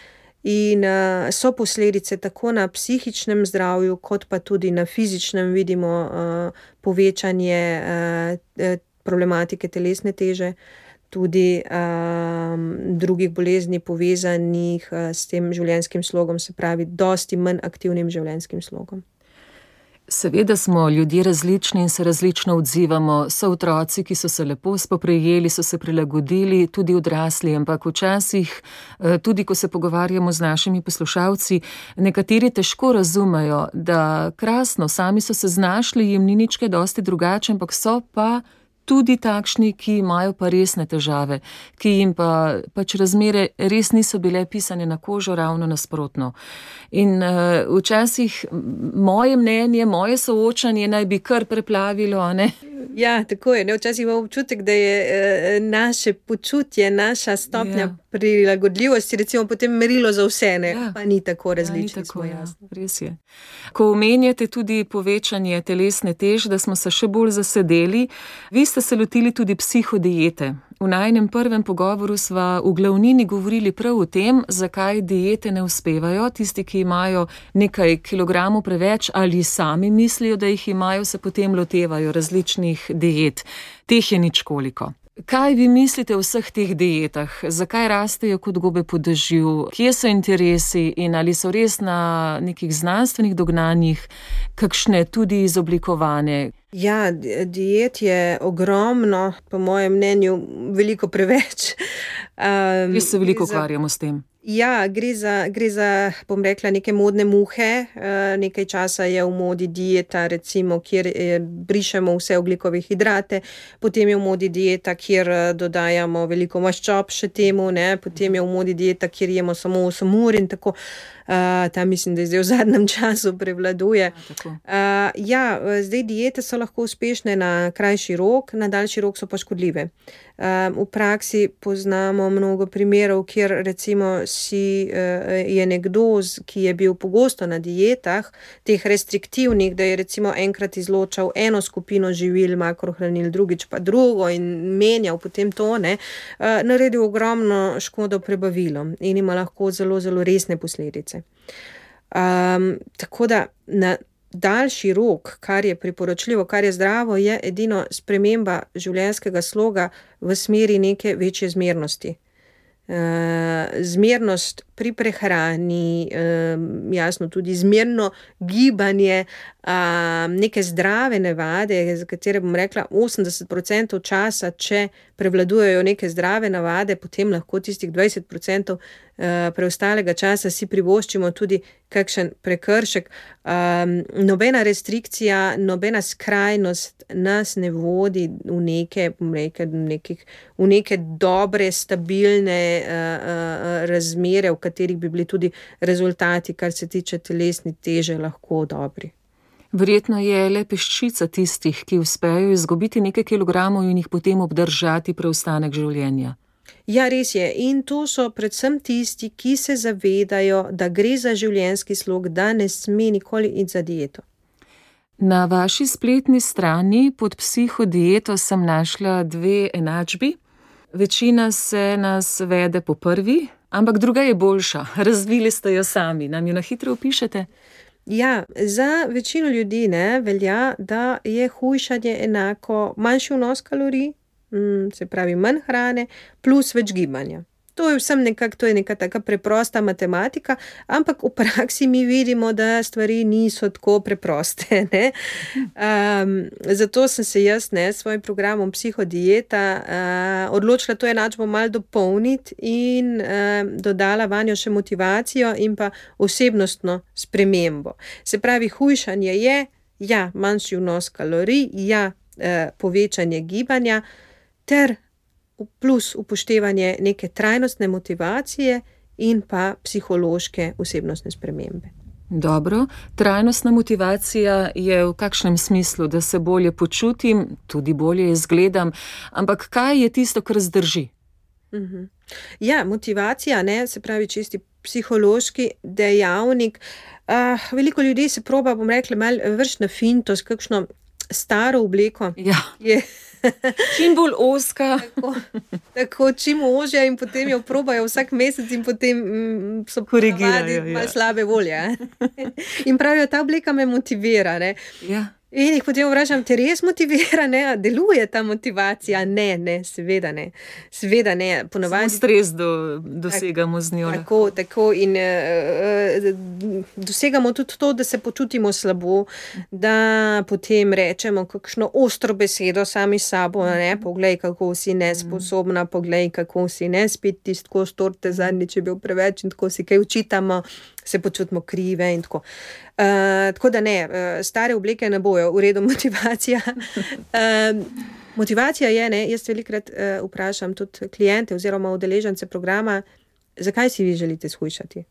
in so posledice tako na psihičnem zdravju, kot pa tudi na fizičnem. Vidimo povečanje problematike telesne teže, tudi drugih bolezni povezanih s tem življenjskim slogom, se pravi, dosti manj aktivnim življenjskim slogom. Seveda smo ljudje različni in se različno odzivamo. So otroci, ki so se lepo spoprijeli, so se prilagodili, tudi odrasli, ampak včasih, tudi ko se pogovarjamo z našimi poslušalci, nekateri težko razumejo, da krasno, sami so se znašli, jim ni nič kaj dosti drugače, ampak so pa tudi takšni, ki imajo pa resne težave, ki jim pač razmere res niso bile pisane na kožo, ravno nasprotno. In včasih moje mnenje, moje soočanje naj bi kar preplavilo, ne? Ja, tako je. Včasih imamo občutek, da je naše počutje, naša stopnja prilagodljivosti, recimo potem merilo za vse, pa ni tako različni. Res je. Ko omenjate tudi povečanje telesne teže, da smo se še bolj zasedeli, vi ste se lotili tudi psihodiete. V najinem prvem pogovoru sva v glavnini govorili prav o tem, zakaj diete ne uspevajo. Tisti, ki imajo nekaj kilogramov preveč ali sami mislijo, da jih imajo, se potem lotevajo različnih diet. Teh je ničkoliko. Kaj vi mislite o vseh teh dietah? Zakaj rastejo kot gobe po dežju? Kje so interesi in ali so res na nekih znanstvenih dognanjih, kakšne tudi izoblikovane? Ja, diet je ogromno, po mojem mnenju veliko preveč. Jaz se veliko ukvarjamo s tem. Ja, gre za, bom rekla, neke modne muhe. Nekaj časa je v modi dieta, recimo, kjer brišemo vse ogljikove hidrate, potem je v modi dieta, kjer dodajamo veliko maščob še temu, potem je v modi dieta, kjer jemo samo 8 ur in tako. Ta mislim, da zdaj v zadnjem času prevladuje. Zdaj diete so lahko uspešne na krajši rok, na daljši rok so pa škodljive. V praksi poznamo mnogo primerov, kjer recimo je nekdo, ki je bil pogosto na dietah, teh restriktivnih, da je recimo enkrat izločal eno skupino živil, makrohranil, drugič pa drugo in menjal potem to, naredil ogromno škodo prebavilom in ima lahko zelo, zelo resne posledice. Tako da na daljši rok, kar je priporočljivo, kar je zdravo, je edino sprememba življenjskega sloga v smeri neke večje zmernosti. Zmernost pri prehrani, jasno tudi zmerno gibanje, neke zdrave navade, za katere bom rekla 80% časa, če prevladujejo neke zdrave navade, potem lahko tistih 20% preostalega časa si privoščimo tudi kakšen prekršek. Nobena restrikcija, nobena skrajnost nas ne vodi v neke, bom rekla, v neke dobre, stabilne razmere, v katerih bi bili tudi rezultati, kar se tiče telesne teže, lahko dobri. Verjetno je le peščica tistih, ki uspejo izgubiti nekaj kilogramov in jih potem obdržati preostanek življenja. Ja, res je. In to so predvsem tisti, ki se zavedajo, da gre za življenjski slog, da ne sme nikoli iti za dieto. Na vaši spletni strani pod psihodieto sem našla 2 enačbi. Večina se nas vede po prvi, ampak druga je boljša. Razvili ste jo sami. Nam jo na hitro opišete? Ja, za večino ljudi velja, da je hujšanje enako manjši vnos kalorij, se pravi manj hrane, plus več gibanja. To je vsem to je neka taka preprosta matematika, ampak v praksi mi vidimo, da stvari niso tako preproste. Zato sem se jaz s svojim programom Psihodieta odločila to enačbo malo dopolniti in dodala vanjo še motivacijo in pa osebnostno spremembo. Se pravi, hujšanje je, manjši vnos kalorij, povečanje gibanja ter plus upoštevanje neke trajnostne motivacije in pa psihološke osebnostne spremembe. Dobro, trajnostna motivacija je v kakšnem smislu, da se bolje počutim, tudi bolje izgledam, ampak kaj je tisto, kar zdrži? Ja, motivacija, se pravi čisti psihološki dejavnik. Veliko ljudi se proba, bom rekla, malo vršiti na finto s kakšno staro obleko. Ja. Čim bolj ozka. Tako čim ožja in potem jo probajo vsak mesec in potem so ponavadi malo slabe volje. In pravijo, ta obleka me motivira. Ja. In jih potem vprašam, te res motivira, deluje ta motivacija? Ne, seveda ne. Seveda ne. Samo stres dosegamo z njo. Tako in dosegamo tudi to, da se počutimo slabo, da potem rečemo kakšno ostro besedo sami s sabo, poglej, kako si nesposobna, poglej, kako si ne spet tisto torte zadnjič je bil preveč in tako si kaj učitamo, se počutimo krive in tako. Tako da stare obleke ne bojo, v redu motivacija. Motivacija je, jaz velikokrat vprašam tudi kliente oziroma udeležence programa, zakaj si vi želite shujšati?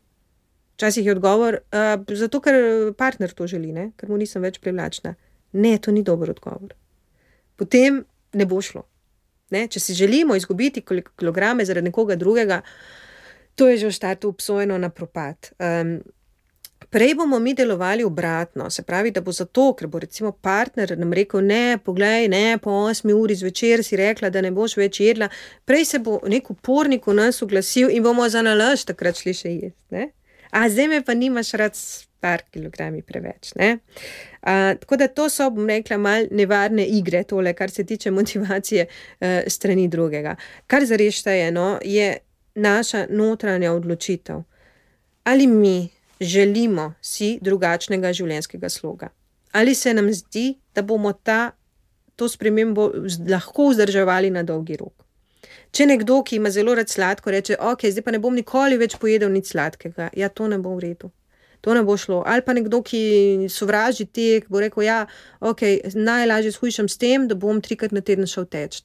Včasih je odgovor, zato ker partner to želi, ker mu nisem več privlačna. Ne, to ni dober odgovor. potem ne bo šlo. Ne? Če si želimo izgubiti kilograme zaradi nekoga drugega, to je že v štartu obsojeno na propad. Prej bomo mi delovali obratno, se pravi, da bo zato, ker bo recimo partner nam rekel, ne, poglej, ne, po 8 uri zvečer si rekla, da ne boš več jedla, prej se bo nek upornik v nas oglasil in bomo za nalašč takrat šli še jesti. Ne? A zdaj me pa nimaš rad s par kilogrami preveč. Ne? Tako da to so, bom rekla, mal nevarne igre, tole, kar se tiče motivacije strani drugega. Kar zares šteje, je naša notranja odločitev. Ali mi želimo si drugačnega življenjskega sloga? Ali se nam zdi, da bomo to spremembo lahko vzdrževali na dolgi rok? Če nekdo, ki ima zelo rad sladko, reče, ok, zdaj pa ne bom nikoli več pojedel nič sladkega, ja, to ne bo v redu. To ne bo šlo. Ali pa nekdo, ki sovraži tek, bo rekel, ja, ok, najlažje shujšam s tem, da bom 3-krat na teden šel teč.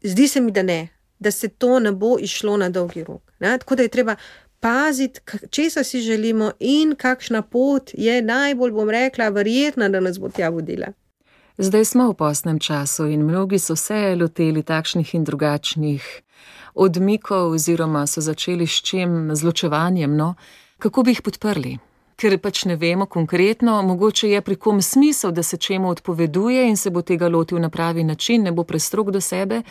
Zdi se mi, da ne, da se to ne bo išlo na dolgi rok. Ne? Tako da je treba paziti, česa si želimo in kakšna pot je najbolj, bom rekla, verjetna, da nas bo tja vodila. Zdaj smo v postnem času in mnogi so se loteli takšnih in drugačnih odmikov oziroma so začeli s čim, z ločevanjem, Kako bi jih podprli? Ker pač ne vemo konkretno, mogoče je pri kom smisel, da se čemu odpoveduje in se bo tega lotil na pravi način, ne bo prestrog do sebe.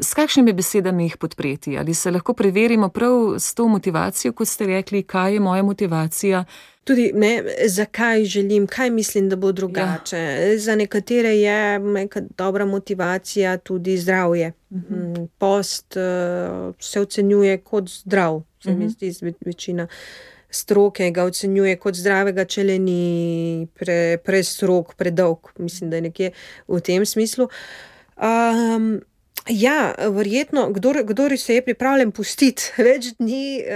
S kakšnimi besedami jih podpreti? Ali se lahko preverimo prav s to motivacijo, kot ste rekli, kaj je moja motivacija? Tudi, zakaj želim, kaj mislim, da bo drugače. Ja. Za nekatere je neka dobra motivacija tudi zdravje. Post se ocenjuje kot zdrav, se mi zdi večina stroke ga ocenjuje kot zdravega, če le ni prestrog, predolg. Mislim, da je nekje v tem smislu. Verjetno, kdor se je pripravljen pustiti več dni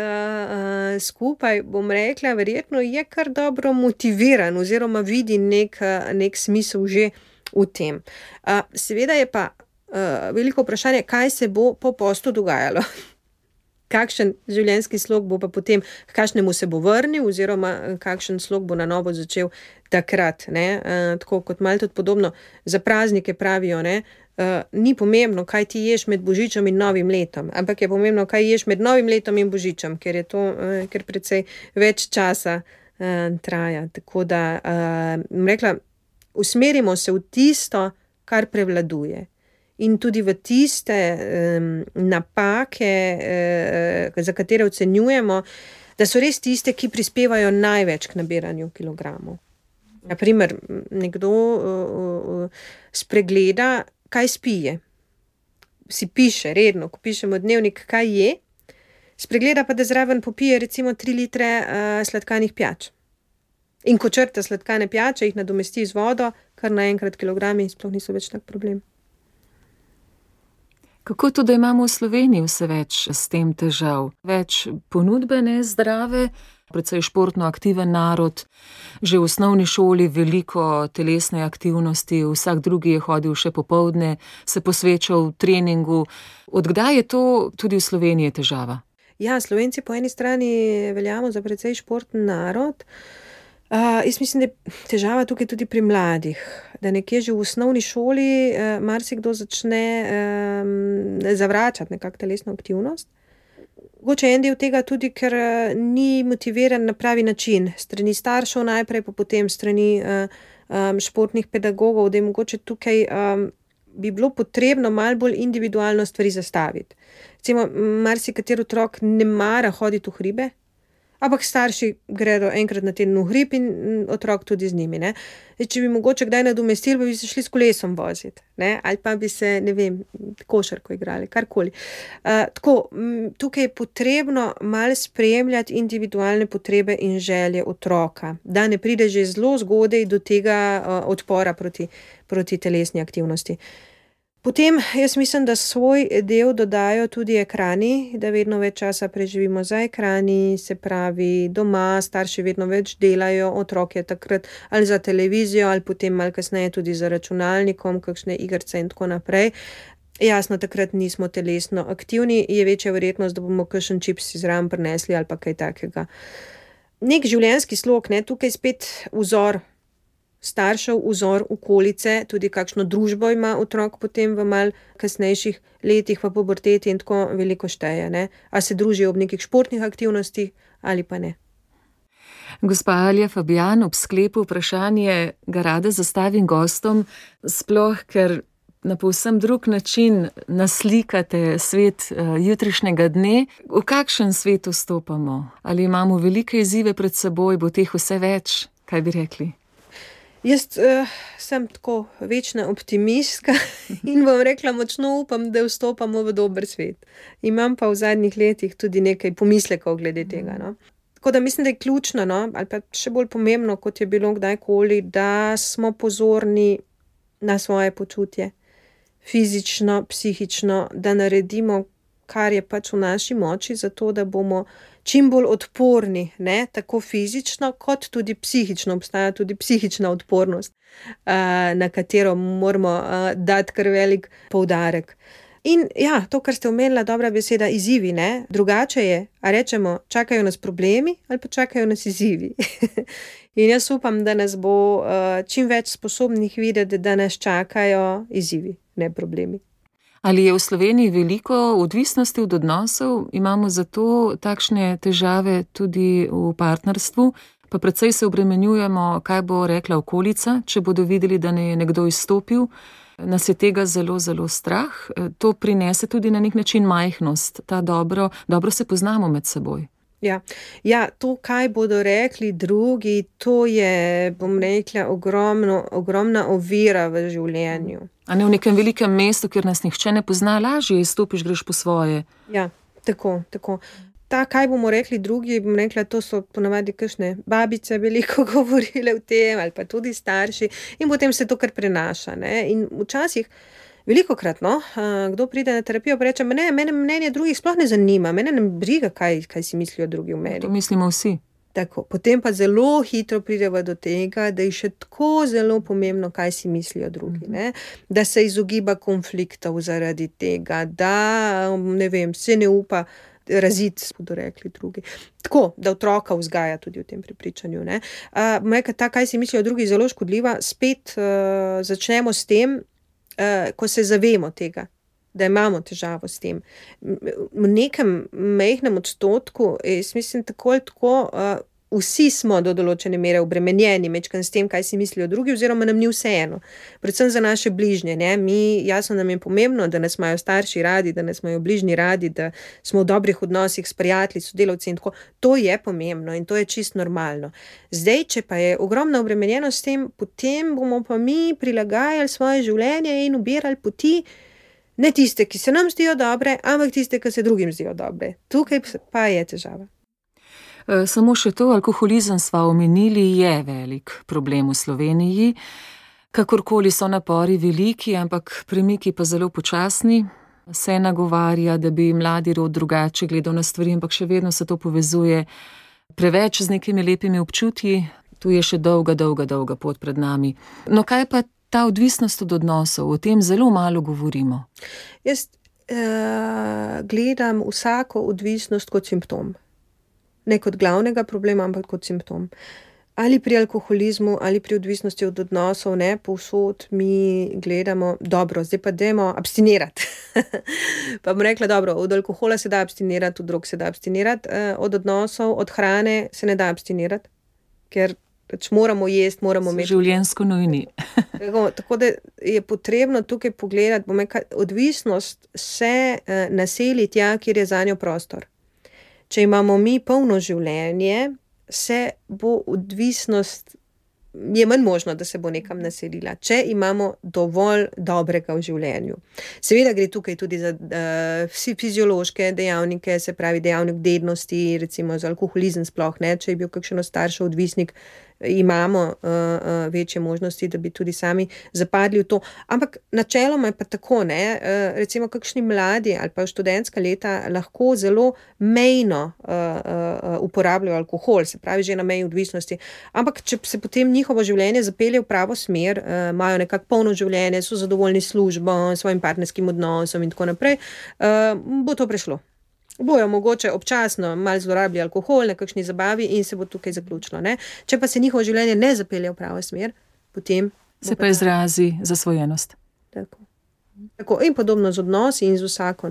skupaj, bom rekla, verjetno je kar dobro motiviran oziroma vidi nek smisel že v tem. Seveda je pa veliko vprašanje, kaj se bo po postu dogajalo. Kakšen življenjski slog bo pa potem, k kakšnemu se bo vrnil oziroma kakšen slog bo na novo začel takrat. Tako kot malo tudi podobno za praznike pravijo, ni pomembno, kaj ti ješ med Božičem in Novim letom, ampak je pomembno, kaj ješ med Novim letom in Božičem, ker je to ker precej več časa traja. Tako da, rekla, usmerimo se v tisto, kar prevladuje. In tudi v tiste napake, za katere ocenjujemo, da so res tiste, ki prispevajo največ k nabiranju kilogramov. Naprimer, nekdo spregleda, kaj spije. Si piše redno, ko pišemo dnevnik, kaj je, spregleda pa, da zraven popije recimo 3 litre sladkanih pijač. In ko črta sladkane pijače, jih nadomesti z vodo, kar naenkrat kilogrami sploh niso več tak problem. Kako to, da imamo v Sloveniji vse več s tem težav? Več ponudbe nezdrave, precej športno aktiven narod, že v osnovni šoli veliko telesne aktivnosti, vsak drugi je hodil še popoldne, se posvečal treningu. Od kdaj je to tudi v Sloveniji težava? Ja, Slovenci po eni strani veljamo za precej športen narod. Jaz mislim, da je težava tukaj tudi pri mladih, da nekje že v osnovni šoli marsikdo začne zavračati nekako telesno aktivnost. Mogoče en del tega tudi, ker ni motiviran na pravi način, strani staršev najprej, pa potem strani športnih pedagogov, da je mogoče tukaj bi bilo potrebno malo bolj individualno stvari zastaviti. Recimo, marsikateri otrok ne mara hoditi v hribe, ampak starši gredo enkrat na teden v hrib in otrok tudi z njimi. Če bi mogoče kdaj nadomestili, pa bi se šli s kolesom voziti. Ali pa bi se, košarko igrali, karkoli. Tukaj je potrebno malo spremljati individualne potrebe in želje otroka, da ne pride že zelo zgodaj do tega odpora proti telesni aktivnosti. Potem jaz mislim, da svoj del dodajo tudi ekrani, da vedno več časa preživimo za ekrani, se pravi doma, starši vedno več delajo, otrok je takrat ali za televizijo ali potem malo kasneje tudi za računalnikom, kakšne igrice in tako naprej. Jasno, takrat nismo telesno aktivni, je večja verjetnost, da bomo kakšen čips zraven prinesli ali pa kaj takega. Nek življenjski slog, tukaj spet vzor. staršev, vzor, okolice, tudi kakšno družbo ima otrok potem v mal kasnejših letih v puberteti in tako veliko šteje, ne? A se družijo ob nekih športnih aktivnostih ali pa ne. Gospa Alja Fabijan, ob sklepu vprašanje ga rada zastavim gostom, sploh ker na povsem drug način naslikate svet jutrišnjega dne. V kakšen svet vstopamo? Ali imamo velike izzive pred seboj, bo teh vse več? Kaj bi rekli? Jaz sem tako večna optimistka in bom rekla, močno upam, da vstopamo v dober svet. Imam pa v zadnjih letih tudi nekaj pomislekov glede tega, no. Tako da mislim, da je ključno, no, ali pa še bolj pomembno, kot je bilo kdajkoli, da smo pozorni na svoje počutje. Fizično, psihično, da naredimo, kar je pač v naši moči, zato da bomo čim bolj odporni, ne, tako fizično, kot tudi psihično. Obstaja tudi psihična odpornost, na katero moramo dati kar velik poudarek. In ja, to, kar ste omenila, dobra beseda, izzivi, ne, drugače je, a rečemo, čakajo nas problemi ali pa čakajo nas izzivi. In jaz upam, da nas bo čim več sposobnih videti, da nas čakajo izzivi, ne problemi. Ali je v Sloveniji veliko odvisnosti od odnosov? Imamo zato takšne težave tudi v partnerstvu? Pa precej se obremenjujemo, kaj bo rekla okolica, če bodo videli, da ne je nekdo izstopil. Nas je tega zelo, zelo strah. To prinese tudi na nek način majhnost. Ta dobro se poznamo med seboj. Ja, to, kaj bodo rekli drugi, to je, bom rekla, ogromna ovira v življenju. A ne v nekem velikem mestu, kjer nas nihče ne pozna, lažje izstopiš, greš po svoje. Ja, tako. Ta, kaj bomo rekli drugi, bom rekla, to so ponavadi kakšne babice veliko govorile o tem, ali pa tudi starši, in potem se to kar prenaša, ne. In včasih, velikokrat, no, kdo pride na terapijo, pa reče, mene mnenje drugih sploh ne zanima, mene ne briga, kaj si mislijo drugi o meni. To mislimo vsi. Tako, potem pa zelo hitro prideva do tega, da je še tako zelo pomembno, kaj si mislijo drugi, ne? Da se izogiba konfliktov zaradi tega, da, ne vem, se ne upa raziti, bodo rekli drugi. Tako, da otroka vzgaja tudi v tem prepričanju, ne. Ta, kaj si mislijo drugi, zelo škodljiva, spet začnemo s tem, ko se zavemo tega, da imamo težavo s tem. V nekem majhnem odstotku, jaz mislim tako ali tako, vsi smo do določene mere obremenjeni majčkeno s tem, kaj si mislijo drugi, oziroma nam ni vseeno. Predvsem za naše bližnje, ne. Jasno nam je pomembno, da nas imajo starši radi, da nas imajo bližnji radi, da smo v dobrih odnosih s prijatelji, sodelavci in tako. To je pomembno in to je čisto normalno. Zdaj, če pa je ogromna obremenjenost s tem, potem bomo pa mi prilagajali svoje življenje in ubirali poti, ne tiste, ki se nam zdijo dobre, ampak tiste, ki se drugim zdijo dobre. Tukaj pa je težava. Samo še to, alkoholizem sva omenili, je velik problem v Sloveniji. Kakorkoli so napori veliki, ampak premiki pa zelo počasni. Se nagovarja, da bi mladi rod drugače gledal na stvari, ampak še vedno se to povezuje preveč z nekimi lepimi občutji. Tu je še dolga pot pred nami. No, kaj pa ta odvisnost od odnosov? O tem zelo malo govorimo. Jaz gledam vsako odvisnost kot simptom. Ne kot glavnega problema, ampak kot simptom. Ali pri alkoholizmu, ali pri odvisnosti od odnosov, ne, povsod mi gledamo, dobro, zdaj pa dajmo abstinirati. Pa bom rekla, dobro, od alkohola se da abstinirati, od drog se da abstinirati, od odnosov, od hrane se ne da abstinirati, ker pač moramo jesti, moramo imeti. Življenjsko nujni. Tako da je potrebno tukaj pogledati, bom rekla, odvisnost se naseli tja, kjer je zanjo prostor. Če imamo mi polno življenje, se bo odvisnost, je manj možno, da se bo nekam naselila, če imamo dovolj dobrega v življenju. Seveda gre tukaj tudi za fiziološke dejavnike, se pravi dejavnik dednosti, recimo za alkoholizem sploh, ne, če je bil kakšen od staršev odvisnik, imamo večje možnosti, da bi tudi sami zapadli v to. Ampak načeloma je pa tako, ne, recimo kakšni mladi ali pa študentska leta lahko zelo mejno uporabljajo alkohol, se pravi že na meji odvisnosti. Ampak če se potem njihovo življenje zapelje v pravo smer, imajo nekako polno življenje, so zadovoljni s službo, svojim partnerskim odnosom in tako naprej, bo to prešlo. Bojo mogoče občasno malo zlorabili alkohol na kakšni zabavi in se bo tukaj zaključilo, ne. Če pa se njihovo življenje ne zapelje v pravo smer, potem se pa izrazi zasvojenost. Tako, in podobno z odnosi in z vsako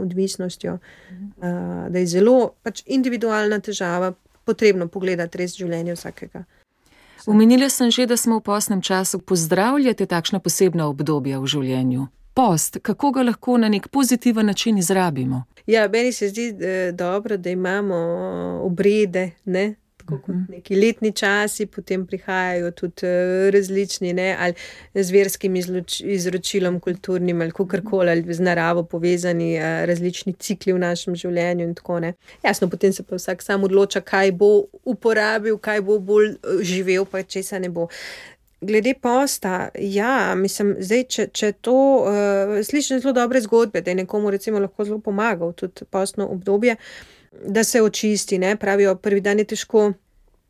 odvisnostjo, da je zelo individualna težava, potrebno pogledati res življenje vsakega. Omenila sem že, da smo v postnem času. Pozdravljate takšna posebna obdobja v življenju? Post, kako ga lahko na nek pozitiven način izrabimo? Ja, meni se zdi dobro, da imamo obrede, ne? Tako kot neki letni časi, potem prihajajo tudi različni, ne? Ali z verskim izročilom kulturnim, ali kakorkoli, ali z naravo povezani različni cikli v našem življenju in tako, ne. Jasno, potem se pa vsak sam odloča, kaj bo uporabil, kaj bo bolj živel, pa česa ne bo. Glede posta, ja, mislim, zdaj, če to slišim zelo dobre zgodbe, da je nekomu recimo lahko zelo pomagal tudi postno obdobje, da se očisti, ne, pravijo, prvi dan je težko,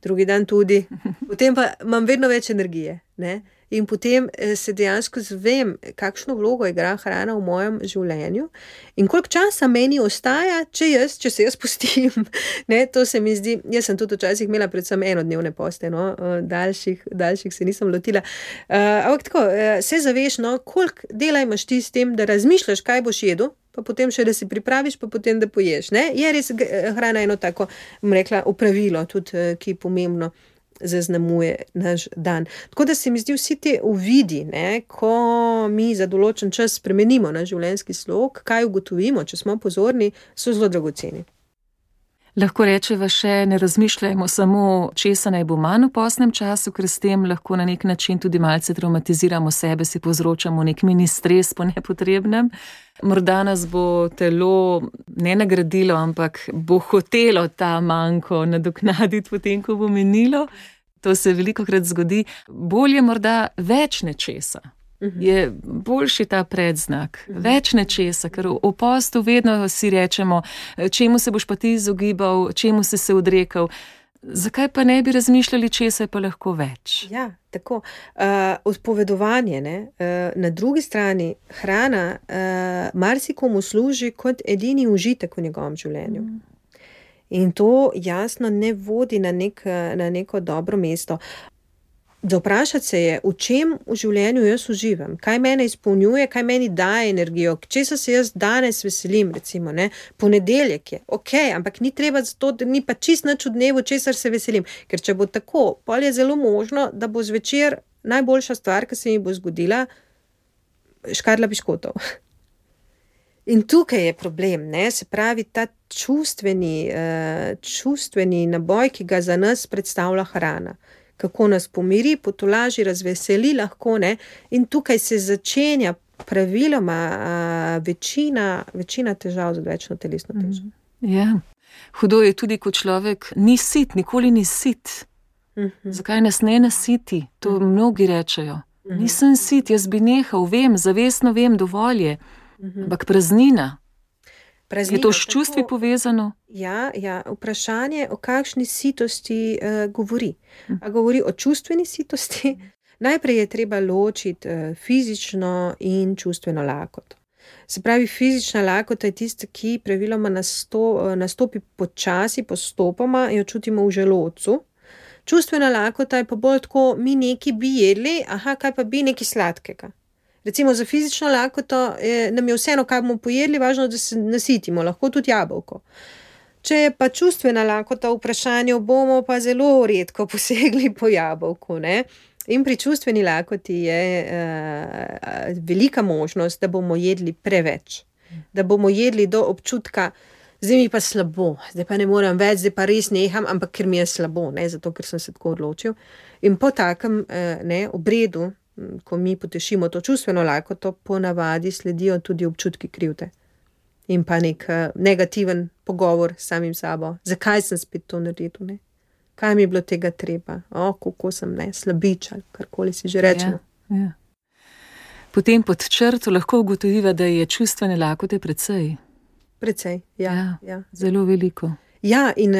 drugi dan tudi, potem pa imam vedno več energije, ne, in potem se dejansko zvem, kakšno vlogo igra hrana v mojem življenju in koliko časa meni ostaja, če se jaz pustim, ne, to se mi zdi, jaz sem tudi včasih imela predvsem enodnevne poste, daljših se nisem lotila, ampak tako, se zaveš, koliko dela imaš ti s tem, da razmišljaš, kaj boš jedel, pa potem še, da si pripraviš, pa potem, da poješ, ne, je res hrana eno tako, bom rekla, opravilo, tudi, ki pomembno zaznamuje naš dan. Tako da se mi zdi vsi te uvidi, ne, ko mi za določen čas spremenimo naš življenjski slog, kaj ugotovimo, če smo pozorni, so zelo dragoceni. Lahko rečeva še, ne razmišljajmo samo, česa naj bo manj v postnem času, ker s tem lahko na nek način tudi malce traumatiziramo sebe, si povzročamo nek mini stres po nepotrebnem. Morda nas bo telo ne nagradilo, ampak bo hotelo ta manko nadoknaditi potem, ko bo minilo. To se velikokrat zgodi. Bolje morda več nečesa. Je boljši ta predznak. Več nečesa, ker v postu vedno si rečemo, čemu se boš pa ti izogibal, čemu si se odrekal. Zakaj pa ne bi razmišljali, česa je pa lahko več? Ja, tako. Odpovedovanje, ne? Na drugi strani hrana marsikomu služi kot edini užitek v njegovem življenju. In to jasno ne vodi na neko dobro mesto. Vprašati se je, v čem v življenju jaz uživam, kaj mene izpolnjuje, kaj meni daje energijo, česa se jaz danes veselim, recimo, ne, ponedeljek je, ampak ni treba zato, da ni pa čist nič v dnevu, česar se veselim, ker če bo tako, pol je zelo možno, da bo zvečer najboljša stvar, ki se mi bo zgodila, škatla piškotov. In tukaj je problem, ne, se pravi ta čustveni naboj, ki ga za nas predstavlja hrana. Kako nas pomiri, potolaži, razveseli lahko, ne, in tukaj se začenja praviloma večina težav z odvečno telesno težo. Ja, hudo je tudi, ko človek ni sit, nikoli ni sit. Zakaj nas ne nasiti? To mnogi rečejo. Nisem sit, jaz bi nehal, zavestno vem, dovolj je. Ampak praznina. Je to s čustvi povezano? Ja, vprašanje, o kakšni sitosti govori. A govori o čustveni sitosti? Najprej je treba ločiti fizično in čustveno lakoto. Se pravi, fizična lakota je tista, ki praviloma nastopi počasi, postopoma, jo čutimo v želodcu. Čustvena lakota je pa bolj tako, mi nekaj bi jedli, kaj pa bi nekaj sladkega. Recimo za fizično lakoto nam je vseeno, kaj bomo pojedli, važno, da se nasitimo, lahko tudi jabolko. Če je pa čustvena lakota v vprašanju, bomo pa zelo redko posegli po jabolku, ne. In pri čustveni lakoti je velika možnost, da bomo jedli preveč. Da bomo jedli do občutka, zdaj mi pa slabo, zdaj pa ne morem več, zdaj pa res neham, ampak ker mi je slabo, ne, zato ker sem se tako odločil. In po takem obredu, ko mi potešimo to čustveno lakoto, ponavadi sledijo tudi občutki krivde. In pa nek negativen pogovor s samim sabo. Zakaj sem spet to naredil, ne? Kaj mi je bilo tega treba? Kako sem, slabič ali karkoli si že rečemo. Ja. Potem pod črto lahko ugotoviva, da je čustvene lakote precej. Precej, ja. Zelo veliko. Ja, in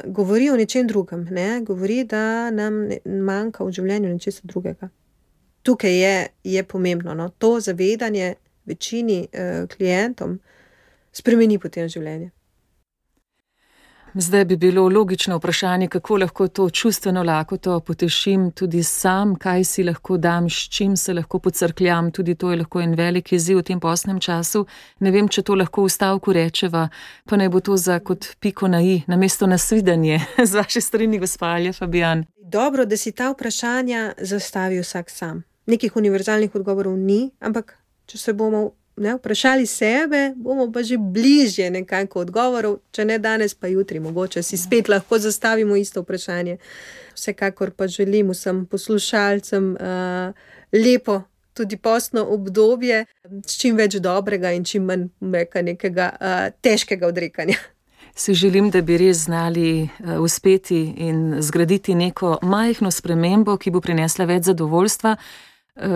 govori o nečem drugem, ne? Govori, da nam manjka v življenju nečesa drugega. Tukaj je pomembno, no? To zavedanje večini klientom spremeni potem življenje. Zdaj bi bilo logično vprašanje, kako lahko to čustveno lakoto potešim tudi sam, kaj si lahko dam, s čim se lahko pocrkljam, tudi to je lahko en velik izziv v tem postnem času. Ne vem, če to lahko v stavku rečeva, pa naj bo to za kot piko na i, namesto nasvidenje z vaše strani, gospa Alja Fabijan. Dobro, da si ta vprašanja zastavi vsak sam. Nekih univerzalnih odgovorov ni, ampak če se bomo vprašali sebe, bomo pa že bližje nekako odgovorov, če ne danes, pa jutri, mogoče si spet lahko zastavimo isto vprašanje. Vsekakor pa želim vsem poslušalcem lepo tudi postno obdobje, s čim več dobrega in čim manj nekega težkega odrekanja. Si želim, da bi res znali uspeti in zgraditi neko majhno spremembo, ki bo prinesla več zadovoljstva.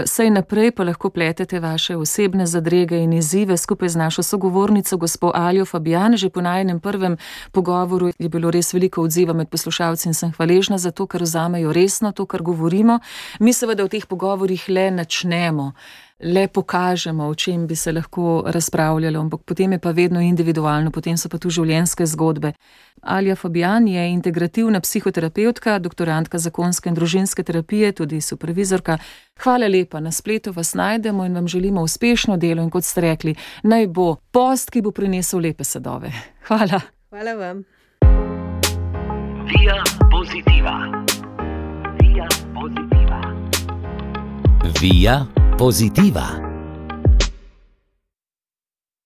Saj naprej pa lahko pletete vaše osebne zadrege in izzive skupaj z našo sogovornico, gospo Aljo Fabijan. Že po najinem prvem pogovoru je bilo res veliko odziva med poslušalci in sem hvaležna za to, ker vzamejo resno to, kar govorimo. Mi seveda v teh pogovorih le načnemo, le pokažemo, o čem bi se lahko razpravljalo, ampak potem je pa vedno individualno, potem so pa tu življenjske zgodbe. Alja Fabijan je integrativna psihoterapevtka, doktorantka zakonske in družinske terapije, tudi supervizorka. Hvala lepa, na spletu vas najdemo in vam želimo uspešno delo in kot ste rekli, naj bo post, ki bo prinesel lepe sadove. Hvala. Hvala vam. Via Positiva. Via Positiva. Via Positiva.